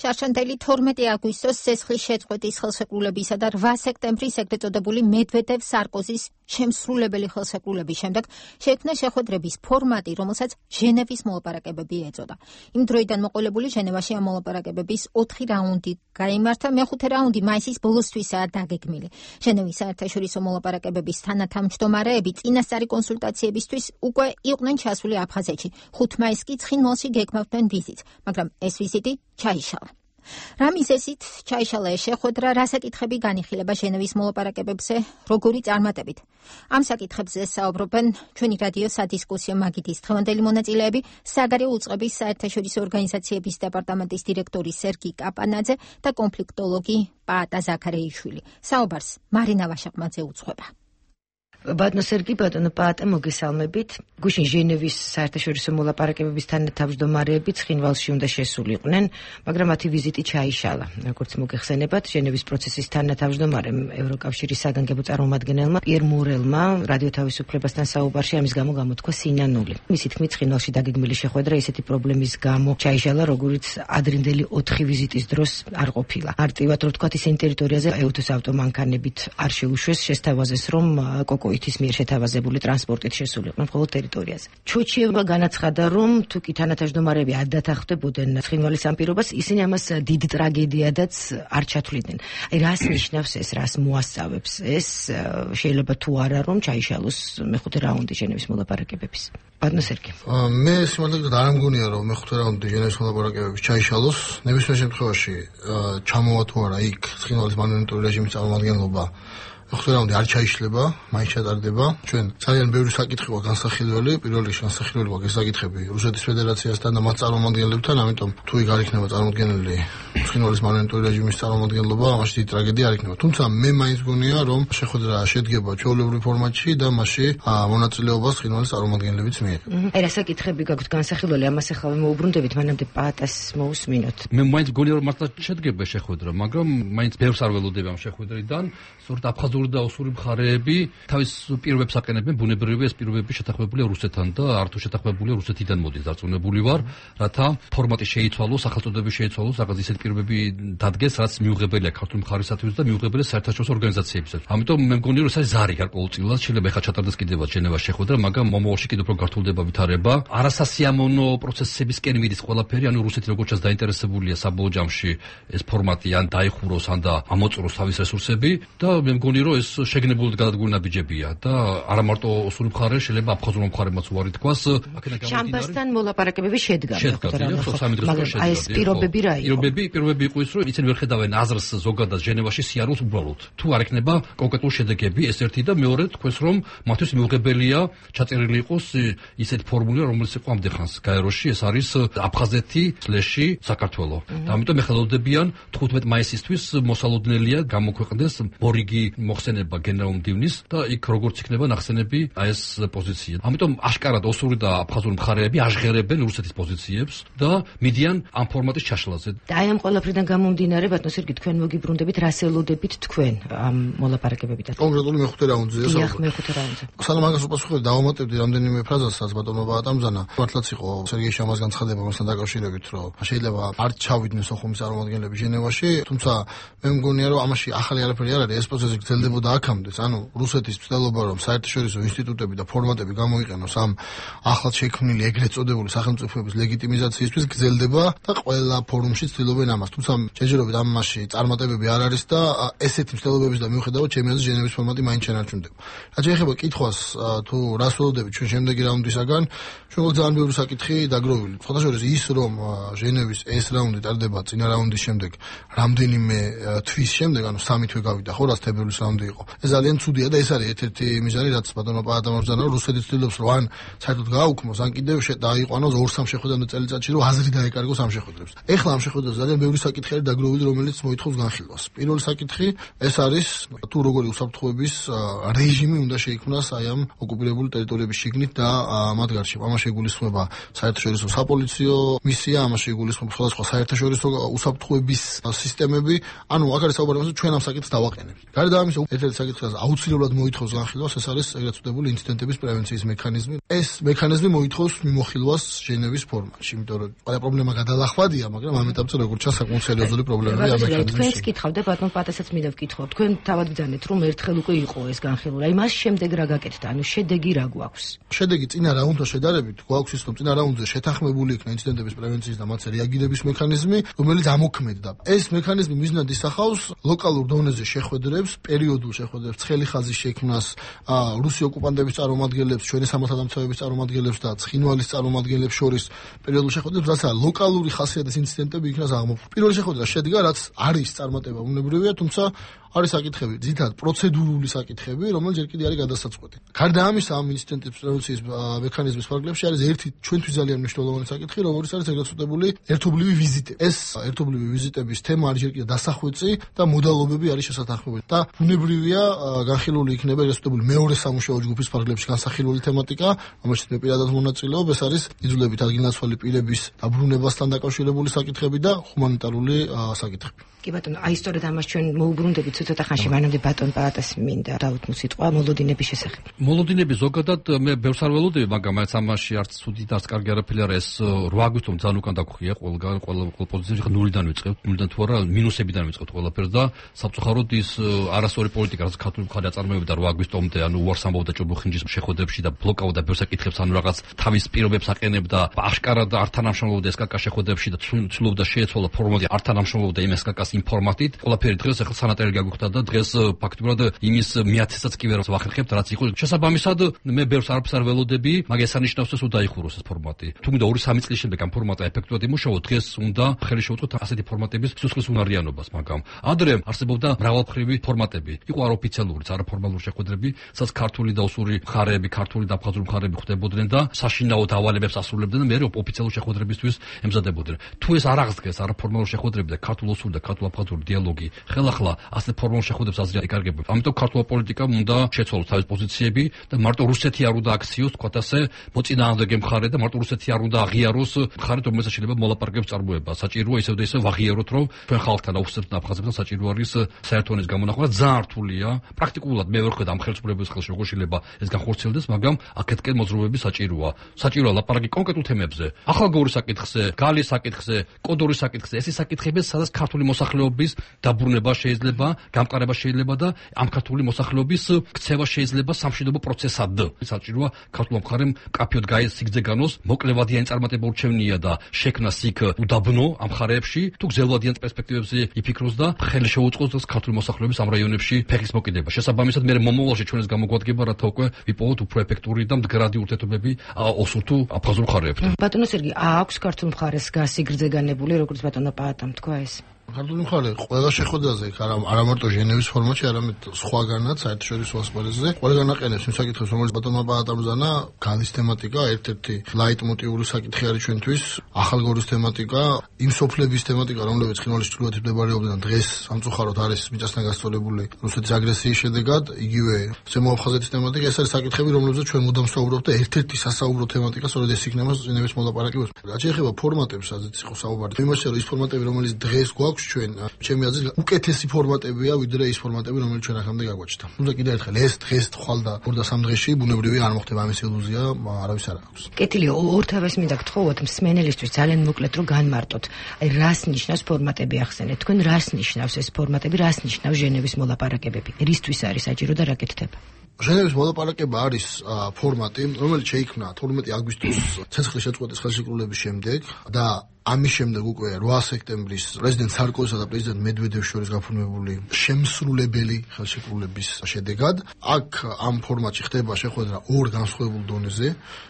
შარშანდელი თორმეტი აგვისტოს ცეცხლის შეწყვეტის ხელშეკრულებისა და რვა სექტემბრის ეგრეთ წოდებული მედვედევ-სარკოზის შემსრულებელი ხელშეკრულების შემდეგ შექმნა შეხვედრების ფორმატი, რომელსაც ჟენევის მოლაპარაკებები ეწოდა. იმ დროიდან მოყოლებული ჟენევაში ამ მოლაპარაკებების ოთხი რაუნდი გაიმართა, მეხუთე რაუნდი მაისის ბოლოსთვისაა დაგეგმილი. ჟენევის საერთაშორისო მოლაპარაკებების თანათავმჯდომარეები წინასწარი კონსულტაციებისთვის უკვე იყვნენ ჩასული აფხაზეთში. ხუთ მაისს კი ცხინვალში გეგმავდნენ ვიზიტს, მაგრამ ეს ვიზიტი ჩაიშალა. რა მიზეზით ჩაიშალა ეს შეხვედრა, რა საკითხები განიხილება ჟენევის მოლაპარაკებებზე, როგორი წარმატებით? ამ საკითხებზე საუბრობენ ჩვენი რადიო სადისკუსიო მაგიდის დღევანდელი მონაწილეები, საგარეო უწყების საერთაშორისო ორგანიზაციების დეპარტამენტის დირექტორი სერგი კაპანაძე და კონფლიქტოლოგი პაატა ზაქარეიშვილი. საუბარს მარინა ვაშაყმაძე უძღვება. ბატონო სერგი, ბატონო პაატა, მოგესალმებით. გუშინ ჟენევის საერთაშორისო მოლაპარაკებების თანათავმჯდომარეები ცხინვალში უნდა შესულიყვნენ, მაგრამ მათი ვიზიტი ჩაიშალა. როგორც მოგეხსენებათ, ჟენევის პროცესის თანათავმჯდომარემ ევროკავშირის საგანგებო წარმომადგენელმა პიერ მორელმა რადიო თავისუფლებასთან საუბარში ამის გამო გამოთქვა სინანული. მისი თქმით, ცხინვალში დაგეგმილი შეხვედრა ისეთი პრობლემის გამო ჩაიშალა, როგორიც ადრინდელი ოთხი ვიზიტის დროს არ ყოფილა. არტივად რო ვთქვათ, ისინი ტერიტორიაზე ეუთოს ავტომანქანებით არ შეუშვეს, შესთავაზეს, რომ კოკო ითის მიერ შეთავაზებული ტრანსპორტით შესულიყვნენ მხოლოდ ტერიტორიაზე. ჩოჩიევმა განაცხადა, რომ თუ კი თანათავმჯდომარეები არ დათანხმდებოდნენ ცხინვალის ამ პირობას, ისინი ამას დიდ ტრაგედიადაც არ ჩათვლიდნენ. აი რას ნიშნავს ეს, რას მოასწავებს ეს, შეიძლება თუ არა რომ ჩაიშალოს მეხუთე რაუნდი ჟენევის მოლაპარაკებების. ბატონო სერგი. მე სიმართლედ არ ამგონია რომ მეხუთე რაუნდი ჟენევის მოლაპარაკებების ჩაიშალოს. ნებისმიერ შემთხვევაში ჩამოვა თუ არა იქ ცხინვალის მანუელური რეჟიმის წარმომადგენლობა მეხუთე რაუნდი არ ჩაიშლება, მაინც ჩატარდება. ჩვენ ძალიან ბევრი საკითხი გვაქვს განსახილველი, პირველ რიგში განსახილველი გვაქვს ეს საკითხები რუსეთის ფედერაციასთან და მათ წარმომადგენლებთან, ამიტომ თუ იქ არ იქნება წარმოქმნილი ცხინვალის მანუელური რეჟიმის წარმომადგენლობა, ამაში დიდი ტრაგედია არ იქნება. თუმცა მე მაინც გონია რომ შეხვედრა შედგება ჩვეულებრივ ფორმატში და მასში მონაწილეობას ცხინვალის წარმომადგენლებიც მიიღება. აი რა საკითხები გაქვთ განსახილველი, ამას ახლა მოუბრუნდებით, მანამდე პაატას მოусმინოთ. მე მაინც გონია რომ მართლა შედგება შეხვედრა, მაგრამ მაინც ბევრს არ ველოდები ამ შეხვედრიდან, სწორედ აფხაზური და ოსური მხარეები თავის პირობებს აყენებენ, ბუნებრივია ეს პირობები შეთანხმებულია რუსეთთან და არ თუ შეთანხმებულია რუსეთიდან მოდის, დარწმუნებული ვარ, რათა ფორმატი შეიცვალოს, სახელწოდებები შეიცვალოს, რაღაც ისეთ პირობები დადგეს, რაც მიუღებელია ქართული მხარისათვის და მიუღებელია საერთაშორისო ორგანიზაციებისაც. ამიტომ მე მგონია რომ ეს არის ზარი გარკვეულწილად, შეიძლება ეხლა ჩატარდეს კიდევაც ჟენევას შეხვედრა, მაგრამ მომავალში კიდევ უფრო გართულდება ვითარება. არასასიამოვნო პროცესებისკენ მიდის ყველაფერი, ანუ რუსეთი როგორც ჩანს დაინტერესებულია საბოლოო ჯამში ეს ფორმატი ან დაიხუროს, ან და ამოწუროს თავის რესურსები და მე მგონია რომ ეს შეგნებული გადადგმული ნაბიჯებია და არა მარტო ოსური მხარე, შეიძლება აფხაზურ მხარემაც უარი თქვას. შამბასთან მოლაპარაკებები შედგა. შედგა, ხო, სამი დღის წინ შედგა. აი ეს პირობები რა იყო? პირობები, პირობები იყო ის, რომ ისინი ვერ ხედავენ აზრს ზოგადად ჟენევაში სიარულს უბრალოდ. თუ არ ექნება კონკრეტული შედეგები, ეს ერთი და მეორე თქვენს რომ მათთვის მიუღებელია ჩაწერილი იყოს ისეთი ფორმულა, რომელიც იყო ამდეხანს გაეროში, ეს არის აფხაზეთი სლეში საქართველო. და ამიტომ ეხელოდებიან თხუთმეტ მაისისთვის მოსალოდნელია გამოქვეყნდეს მორიგი მოხსენება გენერალურ მდივნის და იქ როგორც იქნება ნახსენები აი ეს პოზიცია. ამიტომ აშკარად ოსური და აფხაზური მხარეები აღღერებენ რუსეთის პოზიციებს და მიდიან ამ ფორმატის ჩაშლაზე. და აი ამ ყველაფრიდან გამომდინარე, ბატონო სერგი, თქვენ მოგიბრუნდებით, რას ელოდებით თქვენ ამ მოლაპარაკებებიდან? კონკრეტული მეხუთე რაუნდზე საუბარი. დიახ, მეხუთე რაუნდზე. სანამ მაგას უპასუხებ, დავამატებდი რამდენიმე ფრაზას, რაც ბატონო პაატამზანა. მართლაც იყო სერგეი შამას განცხადება მასთან დაკავშირებით, რომ შეიძლება არ ჩავიდნენ სოხუმის წარმომადგენლები ჟენევაში, თუმცა მე მგონია რომ ამაში ახალი არაფერი არ არის, ეს პროცესი გრძელდებოდა აქამდე. ანუ რუსეთის ცდილობა რომ საერთაშორისო ინსტიტუტები და ფორმატები გამოიყენოს ამ ახლად შექმნილი ეგრეთ წოდებული სახელმწიფოების ლეგიტიმიზაციისთვის გრძელდება და ყველა ფორუმში ცდილობენ ამას. თუმცა შეჯერობით ამაში წარმატებები არ არის და ესეთი ცდილობების და მიუხედავად ჩემი აზრით ჟენევის ფორმატი მაინც შენარჩუნდება. რაც შეეხება კითხვას თუ რას ველოდებით ჩვენ შემდეგი რაუნდისაგან, ჩვენ ძალიან ბევრი საკითხი დაგროვილი. ხოდაშორის ის რომ ჟენევის ეს რაუნდი ტარდება წინა რაუნდის შემდეგ რამდენიმე თვის შემდეგ, ანუ სამი თვე გავიდა ხო, რაც თებერვლის რაუნდი იყო. ეს ძალიან ცუდია და ეს არის ერთ-ერთი მიზანი, რაც ბატონო პაატამბზანა რომ რუსეთი ცდილობს რომ ან საერთოდ გააუქმოს, ან კიდევ დაიყვანოს ორ სამ შეხვედრამდე წელიწადში, რომ აზრი დაეკარგოს ამ შეხვედრებს. ეხლა ამ შეხვედრებს ძალიან ბევრი საკითხი არის დაგროვილი, რომელიც მოითხოვს განხილვას. პირველი საკითხი ეს არის თუ როგორი უსაფრთხოების რეჟიმი უნდა შეიქმნას აი ამ ოკუპირებული ტერიტორიების შიგნით და მათ გარშემო. ამაში იგულისხმება საერთაშორისო საპოლიციო მისია, ამაში იგულისხმება სხვადასხვა საერთაშორისო უსაფრთხოების სისტემები. ანუ აქ არის საუბარი იმაზე, ჩვენ ამ საკითხს დავაყენებთ. გარდა ამისა, ერთ-ერთი საკითხი, რაც აუცილებლად მოითხოვს განხილვას, ეს არის ეგრეთ წოდებული ინციდენტების პრევენციის მექანიზმი. ეს მექანიზმი მოითხოვს მიმოხილვას ჟენევის ფორმატში, იმიტომ რომ ყველა პრობლემა გადალახვადია, მაგრამ ამ ეტაპზე როგორც ჩანს, საკმაოდ სერიოზული პრობლემაა ამ მექანიზმის. თქვენს კითხავთ და ბატონ პაატასაც მინდა ვკითხო. თქვენ თავად ბრძანეთ, რომ ერთხელ უკვე იყო ეს განხილვა. აი მას შემდეგ რა გაკეთდა? ანუ შედეგი რა გვაქვს? შედეგი წინ წინა რაუნდთან შედარებით გვაქვს ის, რომ წინა რაუნდზე შეთანხმებული იქნა ინციდენტების პრევენციის და მათზე რეაგირების მექანიზმი, რომელიც ამოქმედდა. ეს მექანიზმი მიზნად ისახავს ლოკალურ დონეზე შეხვედრებს, პერიოდულ შეხვედრებს, ცხელი ხაზის შექმნას რუსი ოკუპანტების წარმომადგენლებს, ჩვენი სამართალდამცავების წარმომადგენლებს და ცხინვალის წარმომადგენლებს შორის პერიოდულ შეხვედრებს, რათა ლოკალური ხასიათის ინციდენტები იქნას აღმოფხვრა. პირველი შეხვედრა შედგა, რაც არის წარმატება უნებრივია, თუმცა არის საკითხები, ძირითადად პროცედურული საკითხები, რომელიც ჯერ კიდევ არის გადასაწყვეტი. გარდა ამისა, ამ ინციდენტების პრევენციის მექანიზმის ფარგლებში არის ერთი ჩვენთვის ძალიან მნიშვნელოვანი საკითხი, რომელიც არის ეგრეთ წოდებული ერთობლივი ვიზიტები. ეს ერთობლივი ვიზიტების თემა არის ჯერ კიდევ დასახვეწი და მოდალობები არის შესათანხმებელი. და ბუნებრივია, განხილული იქნება ეგრეთ წოდებული მეორე სამუშაო ჯგუფის ფარგლებში განსახილული თემატიკა, რომელშიც მე პირადად მონაწილეობ, ეს არის იძულებით ადგილნაცვალი პირების დაბრუნებასთან დაკავშირებული საკითხები და ჰუმანიტარული საკითხები. კი ბატონო, აი სწორედ ამას ჩვენ მოუბრუნდებით ცოტა ხანში, მანამდე ბატონ პალატას მინდა დაუთმო სიტყვა მოლოდინების შესახებ. მოლოდინები ზოგადად მე ბევრს არ ველოდები, მაგრამ მაინც ამაში არც ცუდი და არც კარგი არაფერი არ ეს რვა აგვისტომ ძალიან უკან დაგხვია ყველგან, ყველა ყველა პოზიციებში ნულიდან ვიწყებთ, ნულიდან თუ არა მინუსებიდან ვიწყებთ ყველაფერს და საფუძვლად ის არასწორი პოლიტიკა, რაც ქართული მხარე აწარმოებდა რვა აგვისტომდე, ანუ უარს ამბობდა ჭობუხინჯის შეხვედრებში და ბლოკავდა ბევრ საკითხებს, ანუ რაღაც თავის პირობებს აყენებდა, აშკარად არ თანამშრომლობდა ეს კაკა შეხვედრებში და ცდილობდა შეეცვალა ფორმატი, არ თანამშრომლობდა იმ ეს კაკას ინფორმატით. ყველაფერი დღეს ახლა სანატარი გაგვიხდა და დღეს ფაქტობრივად იმის მეათესაც კი ვერ ვახერხებთ, რაც იყო. შესაბამისად, მე ბევრს არაფერს არ ველოდები, მაგრამ ეს ანიშნავს, რომ დაიხუროს ეს ფორმატი. თუ მინდა ორი სამი წლის შემდეგ ამ ფორმატა ეფექტურად იმუშაო, დღეს უნდა ხელი შეუწყოთ ასეთი ფორმატების სისხლის უნარიანობას, მაგრამ ადრე არსებობდა მრავალმხრივი ფორმატები. იყო არაოფიციალურიც, არაფორმალური შეხვედრები, სადაც ქართული და უსური მხარეები, ქართული და აფხაზური მხარეები ხვდებოდნენ და საშინაო დავალებებს ასრულებდნენ და მე ოფიციალური შეხვედრებისთვის ემზადებოდნენ. თუ ეს არ აღსდგეს არაფორმალური შეხვედრები და ქართულ უსური და ქართულ აფხაზური დიალოგი, ხელახლა ასეთ ფორმალურ შეხვედრებს აზრი იკარგებოდა. ამიტომ ქართული პოლიტიკა უნდა შეცვალოს თავის პოზიციები და მარტო რუსეთი არ უნდა აქციოს, თქვათ ასე, მოწინააღმდეგე მხარე და მარტო რუსეთი არ უნდა აღიაროს მხარე, რომელსაც შეიძლება მოლაპარაკებებს წარმოება. საჭიროა ისევ და ისევ ვაღიაროთ, რომ ჩვენ ხალხთან, უსწრებთ და აფხაზებთან საჭირო არის საერთო ენის გამონახვა. ძალიან რთულია. პრაქტიკულად მე ვერ ხედავ ამ ხელისუფლების ხელში როგორ შეიძლება ეს განხორციელდეს, მაგრამ აქეთკენ მოძრაობები საჭიროა. საჭიროა ლაპარაკი კონკრეტულ თემებზე. ახალგაზრდობის საკითხზე, გალის საკითხზე, კოდორის საკითხზე. ეს ის საკითხები, სადაც ქართული მოსახლეობის დაბრუნება შეიძლება, გამყარება შეიძლება და ამ ქართული მოსახლეობის ქცევა შეიძლება სამშვიდობო პროცესად. საჭიროა ქართულ მხარემ კაფეოდ გაესიგძე განოს, მოკლევადიანი წარმატება ურჩევნია და შექმნას იქ უდაბნო ამ მხარეებში, თუ გზელვადიან პერსპექტივებზე იფიქროს და ხელი შეუწყოს ქართული მოსახლეობის ამ რაიონებში ფეხის მოკიდება. შესაბამისად, მე მომავალში ჩვენ ეს გამოგვადგება, რათა უკვე ვიპოვოთ უფრო ეფექტური და მდგრადი ურთიერთობები ოსურ თუ აფხაზურ მხარეებთან. ბატონო სერგი, აქვს ქართულ მხარეს გასიგრძე განებული, როგორც ბატონო პაატამ თქვა ეს? ქართული მხარე ყველა შეხვედრაზე არა მარტო ჟენევის ფორმატში, არამედ სხვაგანაც საერთაშორისო ასპარეზზე ყველგან აყენებს იმ საკითხებს, რომელიც ბატონმა პაატამზანა, გალის თემატიკა, ერთ-ერთი ლაიტმოტივური საკითხი არის ჩვენთვის, ახალგორის თემატიკა, იმ სოფლების თემატიკა, რომლებიც ცხინვალის ჩრდილოეთით მდებარეობდნენ, დღეს სამწუხაროდ არის მიწასთან გასწორებული რუსეთის აგრესიის შედეგად, იგივე ზემო აფხაზეთის თემატიკა, ეს არის საკითხები, რომლებზეც ჩვენ მუდამ ვსაუბრობთ და ერთ-ერთი სასაუბრო თემატიკა სწორედ ეს იქნება ჟენევის მოლაპარაკებაში. რაც შეეხება ფორმატებს, სადაც იყო საუბარი, იმაში რომ ის ფორმატები, რომელიც დღეს გვაქვს ჩვენ ჩემი აზრით უკეთესი ფორმატებია ვიდრე ის ფორმატები რომელიც ჩვენ აქამდე გაგვაჩნდა. თუმცა კიდევ ერთხელ ეს დღეს თვალ და ორ და სამ დღეში ბუნებრივია არ მოხდება ამის ილუზია, არავის არ აქვს. კეთილი, ორთავეს მინდა გთხოვოთ მსმენელისთვის ძალიან მოკლედ რომ განმარტოთ. აი რას ნიშნავს ფორმატები ახსენეთ? თქვენ რას ნიშნავს ეს ფორმატები, რას ნიშნავს ჟენევის მოლაპარაკებები? რისთვის არის საჭირო და რა კეთდება? ჟენევის მოლაპარაკება არის ფორმატი, რომელიც შეიქმნა თორმეტი აგვისტოს ცეცხლის შეწყვეტის ხელშეკრულების შემდეგ და ამის შემდეგ უკვე რვა სექტემბრის პრეზიდენტ სარკოზისა და პრეზიდენტ მედვედევის შორის გაფორმებული შემსრულებელი ხელშეკრულების შედეგად აქ ამ ფორმატში ხდება შეხვედრა ორ განსხვავებულ დონეზე.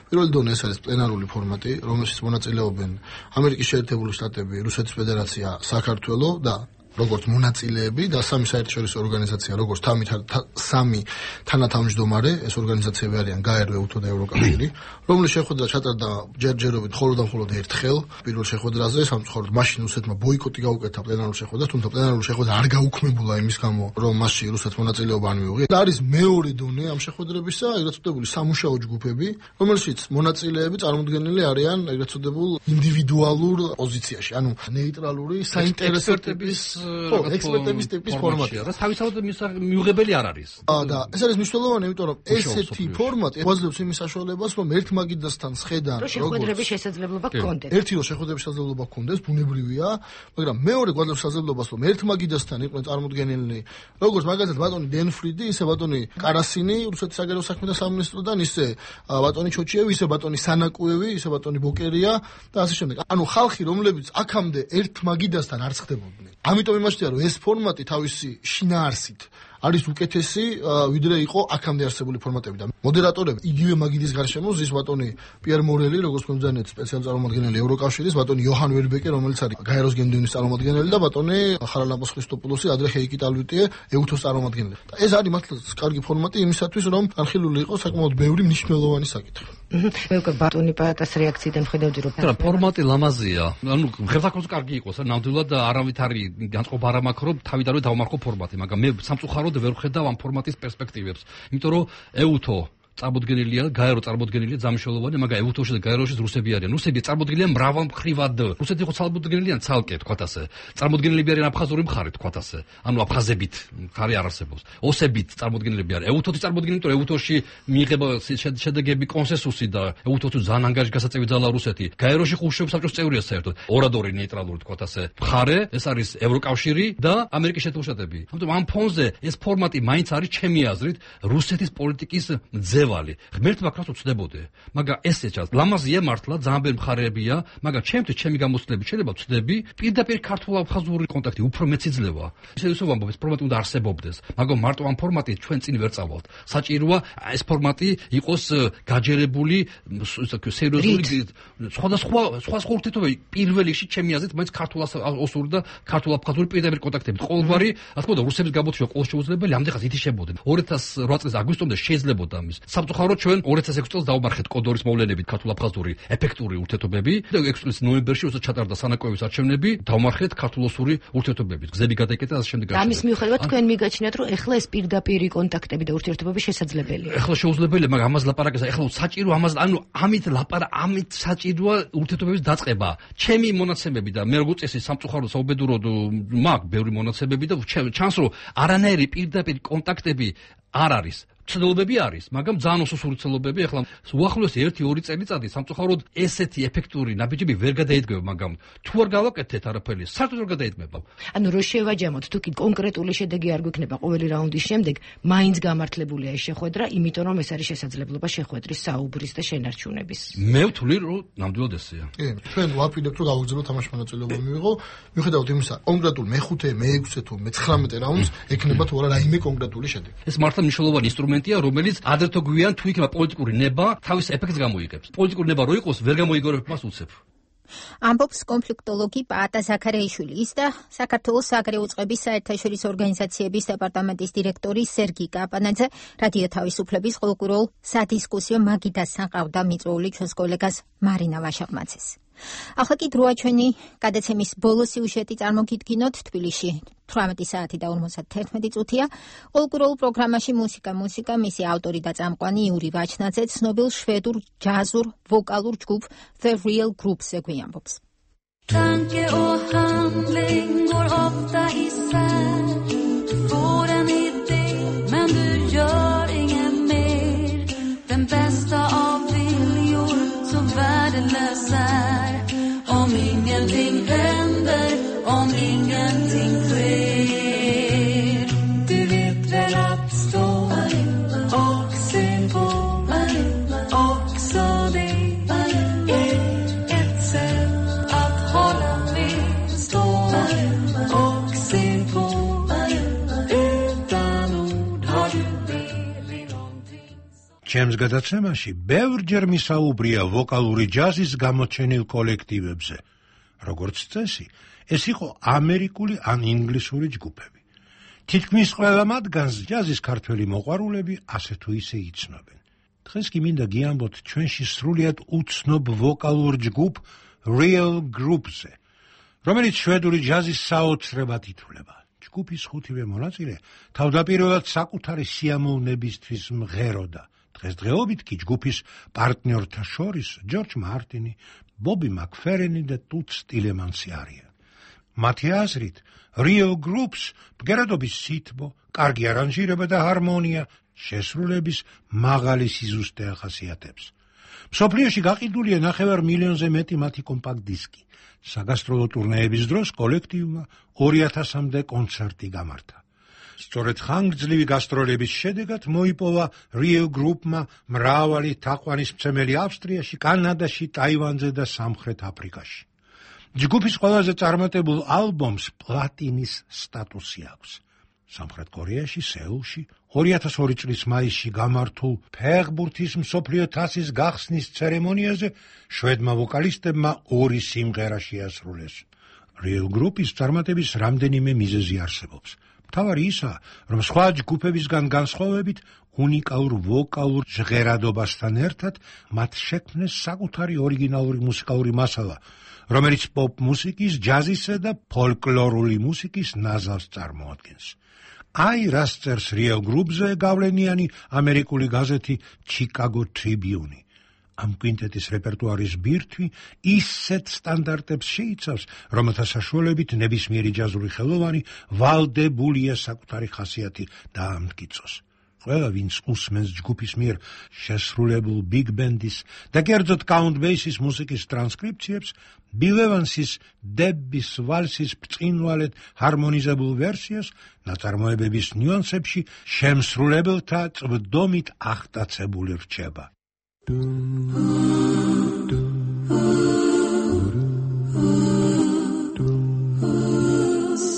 პირველი დონე ეს არის პლენარული ფორმატი, რომელშიც მონაწილეობენ ამერიკის შეერთებული შტატები, რუსეთის ფედერაცია, საქართველო და როგორც მონაწილეები და სამი საერთაშორისო ორგანიზაცია, როგორც სამი თანათავმჯდომარე, ეს ორგანიზაციები არიან გაერვე, უთო და ევროკავშირი, რომლის შეხვედრა ჩატარდა ჯერჯერობით მხოლოდ და მხოლოდ ერთხელ პირველ შეხვედრაზე, სამწუხაროდ მაშინ რუსეთმა ბოიკოტი გაუკეთა პლენარულ შეხვედრას, თუმცა პლენარული შეხვედრა არ გაუქმებულა იმის გამო, რომ მასში რუსეთს მონაწილეობა არ მიუღია. და არის მეორე დონე ამ შეხვედრებისა, ეგრეთ წოდებული სამუშაო ჯგუფები, რომელშიც მონაწილეები წარმოდგენილი არიან ეგრეთ წოდებულ ინდივიდუალურ პოზიციაში, ანუ ნეიტრალური საინტერესოების ხო, ექსპერტების ტიპის ფორმატია. რა თავისთავად მიუღებელი არ არის. აა და ეს არის მნიშვნელოვანი, იმიტომ რომ ესეთი ფორმატი გვაძლევს იმის საშუალებას, რომ ერთ მაგიდასთან სხედან როგორც შეხვედრების შესაძლებლობა გქონდეს. ერთი რომ შეხვედრების შესაძლებლობა გქონდეს, ბუნებრივია, მაგრამ მეორე გვაძლევს შესაძლებლობას, რომ ერთ მაგიდასთან იყვნენ წარმოდგენილნი, როგორც მაგალითად ბატონი დენ ფრიდი, ისე ბატონი კარასინი, რუსეთის საგარეო საქმეთა სამინისტროდან, ისე ბატონი ჩოჩიევი, ისე ბატონი სანაკუევი, ისე ბატონი ბოკერია და ასე შემდეგ. ანუ ხალხი, რომლებიც აქამდე ერთ მაგიდასთან არ ხდებოდნენ. ამიტომ იმაშია, რომ ეს ფორმატი თავისი შინაარსით არის უკეთესი, ვიდრე იყო აქამდე არსებული ფორმატები და მოდერატორები იგივე მაგიდის გარშემო ზის ბატონი პიერ მორელი, როგორც მომძანეთ სპეციალური წარმომადგენელი ევროკავშირის, ბატონი იოჰან ვერბეკე, რომელიც არის გაეროს გენდევნის წარმომადგენელი და ბატონი ხარალამპოს ხრისტოპულოსი, ადრე ჰეიკი ტალვიტიე, ეუთოს წარმომადგენელი. და ეს არის მართლაც კარგი ფორმატი იმისათვის, რომ განხილული იყოს საკმაოდ ბევრი მნიშვნელოვანი საკითხი. მე უკვე ბატონი პაატას რეაქციიდან ხედავდი, რომ რა ფორმატი ლამაზია. ანუ ხელსაყრელს კარგი იყოს, ნამდვილად არავით არის განწყობა არ მაქვს, რომ თავიდანვე დავმარხო ფორმატი, მაგრამ მე სამწუხაროდ ვერ ხედავ ამ ფორმატის პერსპექტივებს. იმიტომ რომ ეუთო წარმოდგენილია, გაერო წარმოდგენილია ძამშოლოვანი, მაგრამ ეუთოში და გაეროში რუსები არიან. რუსები წარმოდგენილია მრავალმხრივად. რუსეთი ხო წარმოდგენილია ცალკე, თქვათ ასე. წარმოდგენილები არიან აფხაზური მხარე, თქვათ ასე. ანუ აფხაზებით მხარე არ არსებობს. ოსებით წარმოდგენილები არიან. ეუთოთი წარმოდგენილი, იმიტომ ეუთოში მიიღება შედეგები კონსენსუსი და ეუთოთი ძალიან ანგაჟი გასაწევი ძალა რუსეთი. გაეროში ხუშჩოვის საბჭოს წევრია საერთოდ. ორადორი ნეიტრალური, თქვათ ასე. მხარე, ეს არის ევროკავშირი და ამერიკის შეერთებული შტატები. ამიტომ ამ ფონზე ეს ფორმატი მაინც არის ჩემი აზრით რუსეთის პოლიტიკის ძევალი. ღმერთმა კრას უცდებოდე. მაგრამ ესე ჩანს, ლამაზია მართლა, ძალიან ბევრი მხარეებია, მაგრამ ჩემთვის ჩემი გამოცდილებით შეიძლება ვცდები პირდაპირ ქართულ-აფხაზური კონტაქტი უფრო მეც იძლევა. ისე ისე ვამბობ, ეს ფორმატი უნდა არსებობდეს, მაგრამ მარტო ამ ფორმატით ჩვენ წინ ვერ წავალთ. საჭიროა ეს ფორმატი იყოს გაჯერებული, სერიოზული, სხვადასხვა სხვა სხვა ურთიერთობა პირველ რიგში ჩემი აზრით, მაინც ქართულ-ოსური და ქართულ-აფხაზური პირდაპირ კონტაქტებით. ყოველგვარი, რა თქმა უნდა, რუსების გამოთვლება ყოველ შეუძლებელი, ამდენხანს ითიშებოდნენ. ორი ათას რვა წლის აგვისტომდე შეიძლებოდა ამის. სამწუხაროდ ჩვენ ორი ათას ექვსი წელს დავმარხეთ კოდორის მოვლენებით ქართულ-აფხაზური ეფექტური ურთიერთობები და ექვსი წლის ნოემბერში როცა ჩატარდა სანაკოევის არჩევნები, დავმარხეთ ქართულ-ოსური ურთიერთობებით. გზები გადაიკეტა ასე შემდეგ. ამის მიუხედავად თქვენ მიგაჩნიათ, რომ ეხლა ეს პირდაპირი კონტაქტები და ურთიერთობები შესაძლებელია. ეხლა შეუძლებელია, მაგრამ ამას ლაპარაკია, ეხლა საჭირო ამას, ანუ ამით ლაპარა, ამით საჭიროა ურთიერთობების დაწყება. ჩემი მონაცემები და მე როგორც წესი სამწუხაროდ საუბედუროდ მაქვს ბევრი მონაცემები და ჩანს, რომ არანაირი პირდაპირ კონტაქტები არ არის. ცდილობები არის, მაგრამ ძალიან უსუსური ცდილობები. ახლა უახლოესი ერთი ორი წელიწადი სამწუხაროდ ესეთი ეფექტური ნაბიჯები ვერ გადაიდგება, მაგრამ თუ არ გავაკეთეთ არაფერი, საერთოდ ვერ გადაიდგება. ანუ რო შევაჯამოთ, თუ კი კონკრეტული შედეგი არ გვექნება ყოველი რაუნდის შემდეგ, მაინც გამართლებულია ეს შეხვედრა, იმიტომ რომ ეს არის შესაძლებლობა შეხვედრის საუბრის და შენარჩუნების. მე ვთვლი, რომ ნამდვილად ესეა. კი, ჩვენ ვაპირებთ, რომ გავაგზავნოთ თამაში მონაწილეობა მიიღო, მიუხედავად იმისა, კონკრეტულ მეხუთე, მეექვსე თუ მეცხრამეტე რაუნდს ექნება თუ არა რაიმე კონკრეტული შედეგი. ეს მართლა მნიშვნელოვანი ინსტრუმენტია, რომელიც ადრეთო გვიან თუ იქნება პოლიტიკური ნება, თავის ეფექტს გამოიღებს. პოლიტიკური ნება რო იყოს, ვერ გამოიგორებ მას უცებ. ამბობს კონფლიქტოლოგი პაატა ზაქარიაშვილი, ის და საქართველოს საგარეო წყების საერთაშორისო ორგანიზაციების დეპარტამენტის დირექტორი სერგი კაპანაძე რადიო თავისუფლების ყოველკვირეულ სადისკუსიო მაგიდასთან ყავდა მიწვეული ჩვენს კოლეგას მარინა ვაშაღმაძეს. ახლა კი დროა ჩვენი გადაცემის ბოლო სიუჟეტი წარმოგიდგინოთ. თბილისში თვრამეტი საათი და ორმოცდაერთმეტი წუთია. ყოველკვირეულ პროგრამაში მუსიკა მუსიკა მისი ავტორი და წამყვანი იური ვაჩნაძე ცნობილ შვედურ ჯაზურ ვოკალურ ჯგუფ The Real Groups-ზე გვიამბობს. Tanke och handling går ofta isär. Får en idé men du gör inget mer. Den bästa av viljor så värdelös är. Om ingenting händer, om ingenting sker. Du vet väl att stå och se på också det är ett sätt att hålla med. Stå och se på utan ord har du med någonting. ჩემს გადაცემაში ბევრჯერ მისაუბრია ვოკალური ჯაზის გამოჩენილ კოლექტივებზე. როგორც წესი, ეს იყო ამერიკული ან ინგლისური ჯგუფები. თითქმის ყველა მათგანს ჯაზის ქართველი მოყვარულები ასე თუ ისე იცნობენ. დღეს კი მინდა გიამბოთ ჩვენში სრულიად უცნობ ვოკალურ ჯგუფ Real Groups-ზე, რომელიც შვედური ჯაზის საოცრებად ითვლება. ჯგუფის ხუთივე მონაწილე თავდაპირველად საკუთარი სიამოვნებისთვის მღეროდა. დღესდღეობით კი ჯგუფის პარტნიორთა შორის ჯორჯ მარტინი, ბობი მაკფერენი და ტუტ სტილემანსი არიან. მათი აზრით, real groups ბგერადობის სითბო, კარგი არანჟირება და ჰარმონია შესრულების მაღალი სიზუსტე ახასიათებს. მსოფლიოში გაყიდულია ნახევარ მილიონზე მეტი მათი კომპაქტ დისკი. საგასტროლო ტურნეების დროს კოლექტივმა ორი ათასამდე კონცერტი გამართა. სწორედ ხანგრძლივი გასტროლების შედეგად მოიპოვა real group-მა მრავალი თაყვანისმცემელი ავსტრიაში, კანადაში, ტაივანზე და სამხრეთ აფრიკაში. ჯგუფის ყველაზე წარმატებულ ალბომს პლატინის სტატუსი აქვს. სამხრეთ კორეაში, სეულში, ორი ათას ორი წლის მაისში გამართულ ფეხბურთის მსოფლიო თასის გახსნის ცერემონიაზე შვედმა ვოკალისტებმა ორი სიმღერა შეასრულეს. real group-ის წარმატების რამდენიმე მიზეზი არსებობს. მთავარი ისაა, რომ სხვა ჯგუფებისგან განსხვავებით უნიკალურ ვოკალურ ჟღერადობასთან ერთად მათ შექმნეს საკუთარი ორიგინალური მუსიკალური მასალა, რომელიც პოპ მუსიკის, ჯაზისა და ფოლკლორული მუსიკის ნაზავს წარმოადგენს. აი რას წერს real group-ზე გავლენიანი ამერიკული გაზეთი Chicago Tribune. ამ კვინტეტის რეპერტუარის ბირთვი ისეთ სტანდარტებს შეიცავს, რომელთა საშუალებით ნებისმიერი ჯაზური ხელოვანი ვალდებულია საკუთარი ხასიათი დაამტკიცოს. ყველა, ვინც უსმენს ჯგუფის მიერ შესრულებულ big band-ის და კერძოდ Count Basie-ის მუსიკის ტრანსკრიფციებს, Bill Evans-ის დების ვალსის ბრწყინვალედ ჰარმონიზებულ ვერსიას ნაწარმოებების ნიუანსებში შემსრულებელთა წვდომით აღტაცებული რჩება.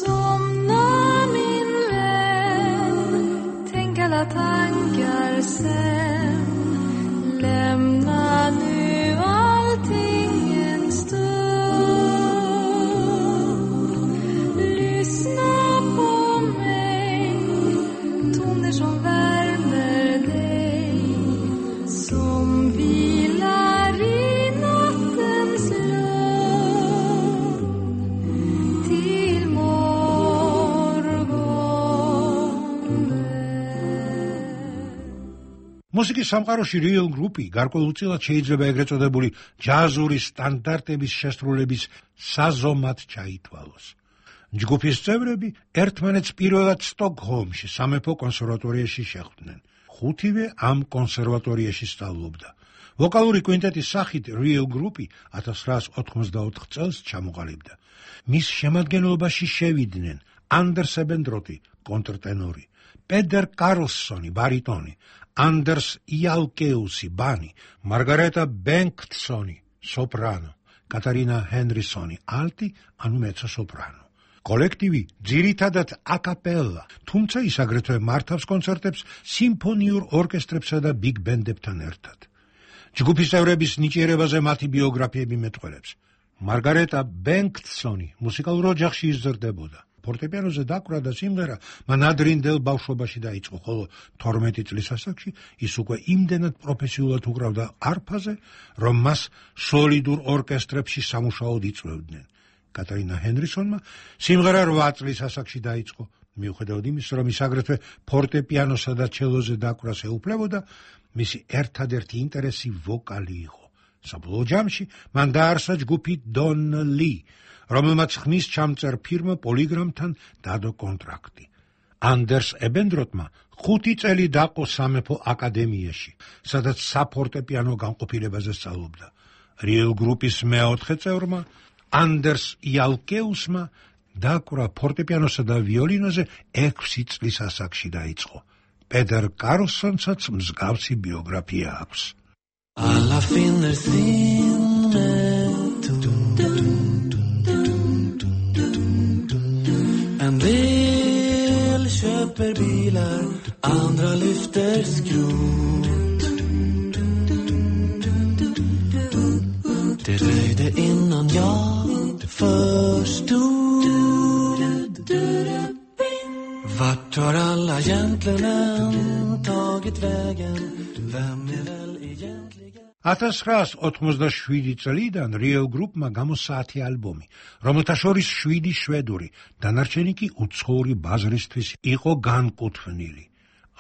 Somna min vän, tänk alla tankar sen. Lämna nu allting en stund. Lyssna på mig, toner som värmer dig. Som vilar i nattens lugn till მუსიკის სამყაროში real group-ი გარკვეულწილად შეიძლება ეგრეთ წოდებული ჯაზური სტანდარტების შესრულების საზომად ჩაითვალოს. ჯგუფის წევრები ერთმანეთს პირველად სტოკჰოლმში სამეფო კონსერვატორიაში შეხვდნენ. ხუთივე ამ კონსერვატორიაში სწავლობდა. ვოკალური კვინტეტის სახით real group-ი ათას ცხრაას ოთხმოცდაოთხ წელს ჩამოყალიბდა. მის შემადგენლობაში შევიდნენ Anders Ebendrothi, კონტრტენორი, Peter Carlsson, ბარიტონი, Anders Ialkeus, ბანი, Margareta Bengtsson, სოპრანო, Katarina Henderson, ალტი, ანუ მეცო-სოპრანო. კოლექტივი ძირითადად აკაპელა, თუმცა ის აგრეთვე მართავს კონცერტებს სიმფონიურ ორკესტრებსა და ბიგ ბენდებთან ერთად. ჯგუფის წევრების ნიჭიერებაზე მათი ბიოგრაფიები მეტყველებს. მარგარეტა ბენგტსონი მუსიკალურ ოჯახში იზრდებოდა. ფორტეპიანოზე დაკვრა და სიმღერა მან ადრინდელ ბავშვობაში დაიწყო, ხოლო თორმეტი წლის ასაკში ის უკვე იმდენად პროფესიულად უკრავდა არფაზე, რომ მას სოლიდურ ორკესტრებში სამუშაოდ იწვევდნენ. კატარინა ჰენდრისონმა სიმღერა რვა წლის ასაკში დაიწყო, მიუხედავად იმისა, რომ ის აგრეთვე ფორტეპიანოსა და ჩელოზე დაკვრას ეუფლებოდა, მისი ერთადერთი ინტერესი ვოკალი იყო. საბოლოო ჯამში მან დაარსა ჯგუფი Don Lee, რომელმაც ხმის ჩამწერ ფირმა პოლიგრამთან დადო კონტრაქტი. Anders Ebendrothმა ხუთი წელი დაყო სამეფო აკადემიაში, სადაც საფორტეპიანო განყოფილებაზე სწავლობდა. real group-ის მეოთხე წევრმა Anders Ialkeusმა დაკვრა ფორტეპიანოსა და ვიოლინოზე ექვსი წლის ასაკში დაიწყო. Peter Carlssonსაც მსგავსი ბიოგრაფია აქვს. Alla finner sin En del köper bilar, andra lyfter skrot. Det dröjde innan jag förstod. Vart har alla gentlemän tagit vägen? Vem är väl egentligen? ათას ცხრაას ოთხმოცდაშვიდი წლიდან real group-მა გამოსაათი ალბომი, რომელთა შორის შვიდი შვედური, დანარჩენი კი უცხოური ბაზრისთვის იყო განკუთვნილი.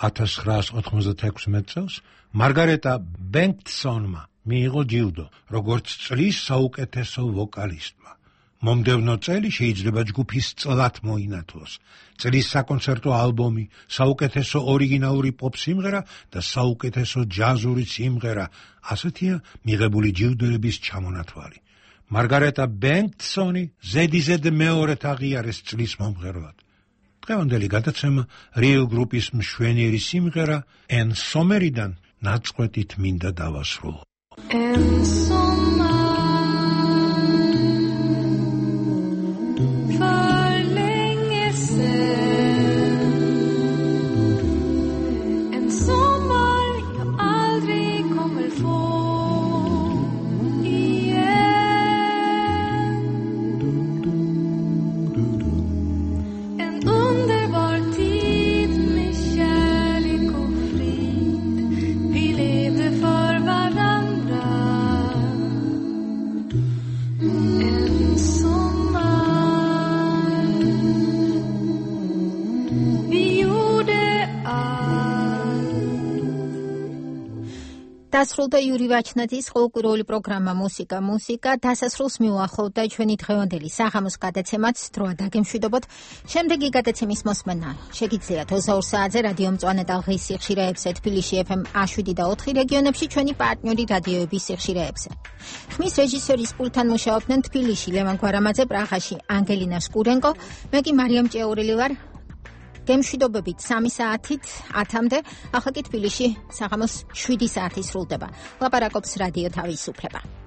ათას ცხრაას ოთხმოცდათექვსმეტ წელს მარგარეტა ბენგტსონმა მიიღო ჯილდო, როგორც წლის საუკეთესო ვოკალისტმა. მომდევნო წელი შეიძლება ჯგუფის წლად მოინათლოს. წლის საკონცერტო ალბომი, საუკეთესო ორიგინალური პოპ სიმღერა და საუკეთესო ჯაზური სიმღერა, ასეთია მიღებული ჯილდოების ჩამონათვალი. მარგარეტა ბენკსონი ზედიზედ მეორედ აღიარეს წლის მომღერლად. დღევანდელი გადაცემა რიო გრუპის მშვენიერი სიმღერა En Sommerიდან ნაწყვეტით მინდა დავასრულო. En Sommer დასრულდა იური ვაჩნაძის ყოველკვირეული პროგრამა მუსიკა მუსიკა დასასრულს მიუახლოვდა ჩვენი დღევანდელი საღამოს გადაცემაც დროა დაგემშვიდობოთ. შემდეგი გადაცემის მოსმენა შეგიძლიათ ოცდაორ საათზე რადიო მწვანე და ღის სიხშირეებზე თბილისში ეფ ემ შვიდ და ოთხი რეგიონებში ჩვენი პარტნიორი რადიოების სიხშირეებზე. ხმის რეჟისორის პულტთან მუშაობდნენ თბილისში ლევან გვარამაძე, პრაღაში ანგელინა სკურენკო, მე კი მარიამ ჭეურილი ვარ. გემშვიდობებით სამი საათით ათამდე, ახლა კი თბილისში საღამოს შვიდი საათი სრულდება. ლაპარაკობს რადიო თავისუფლება.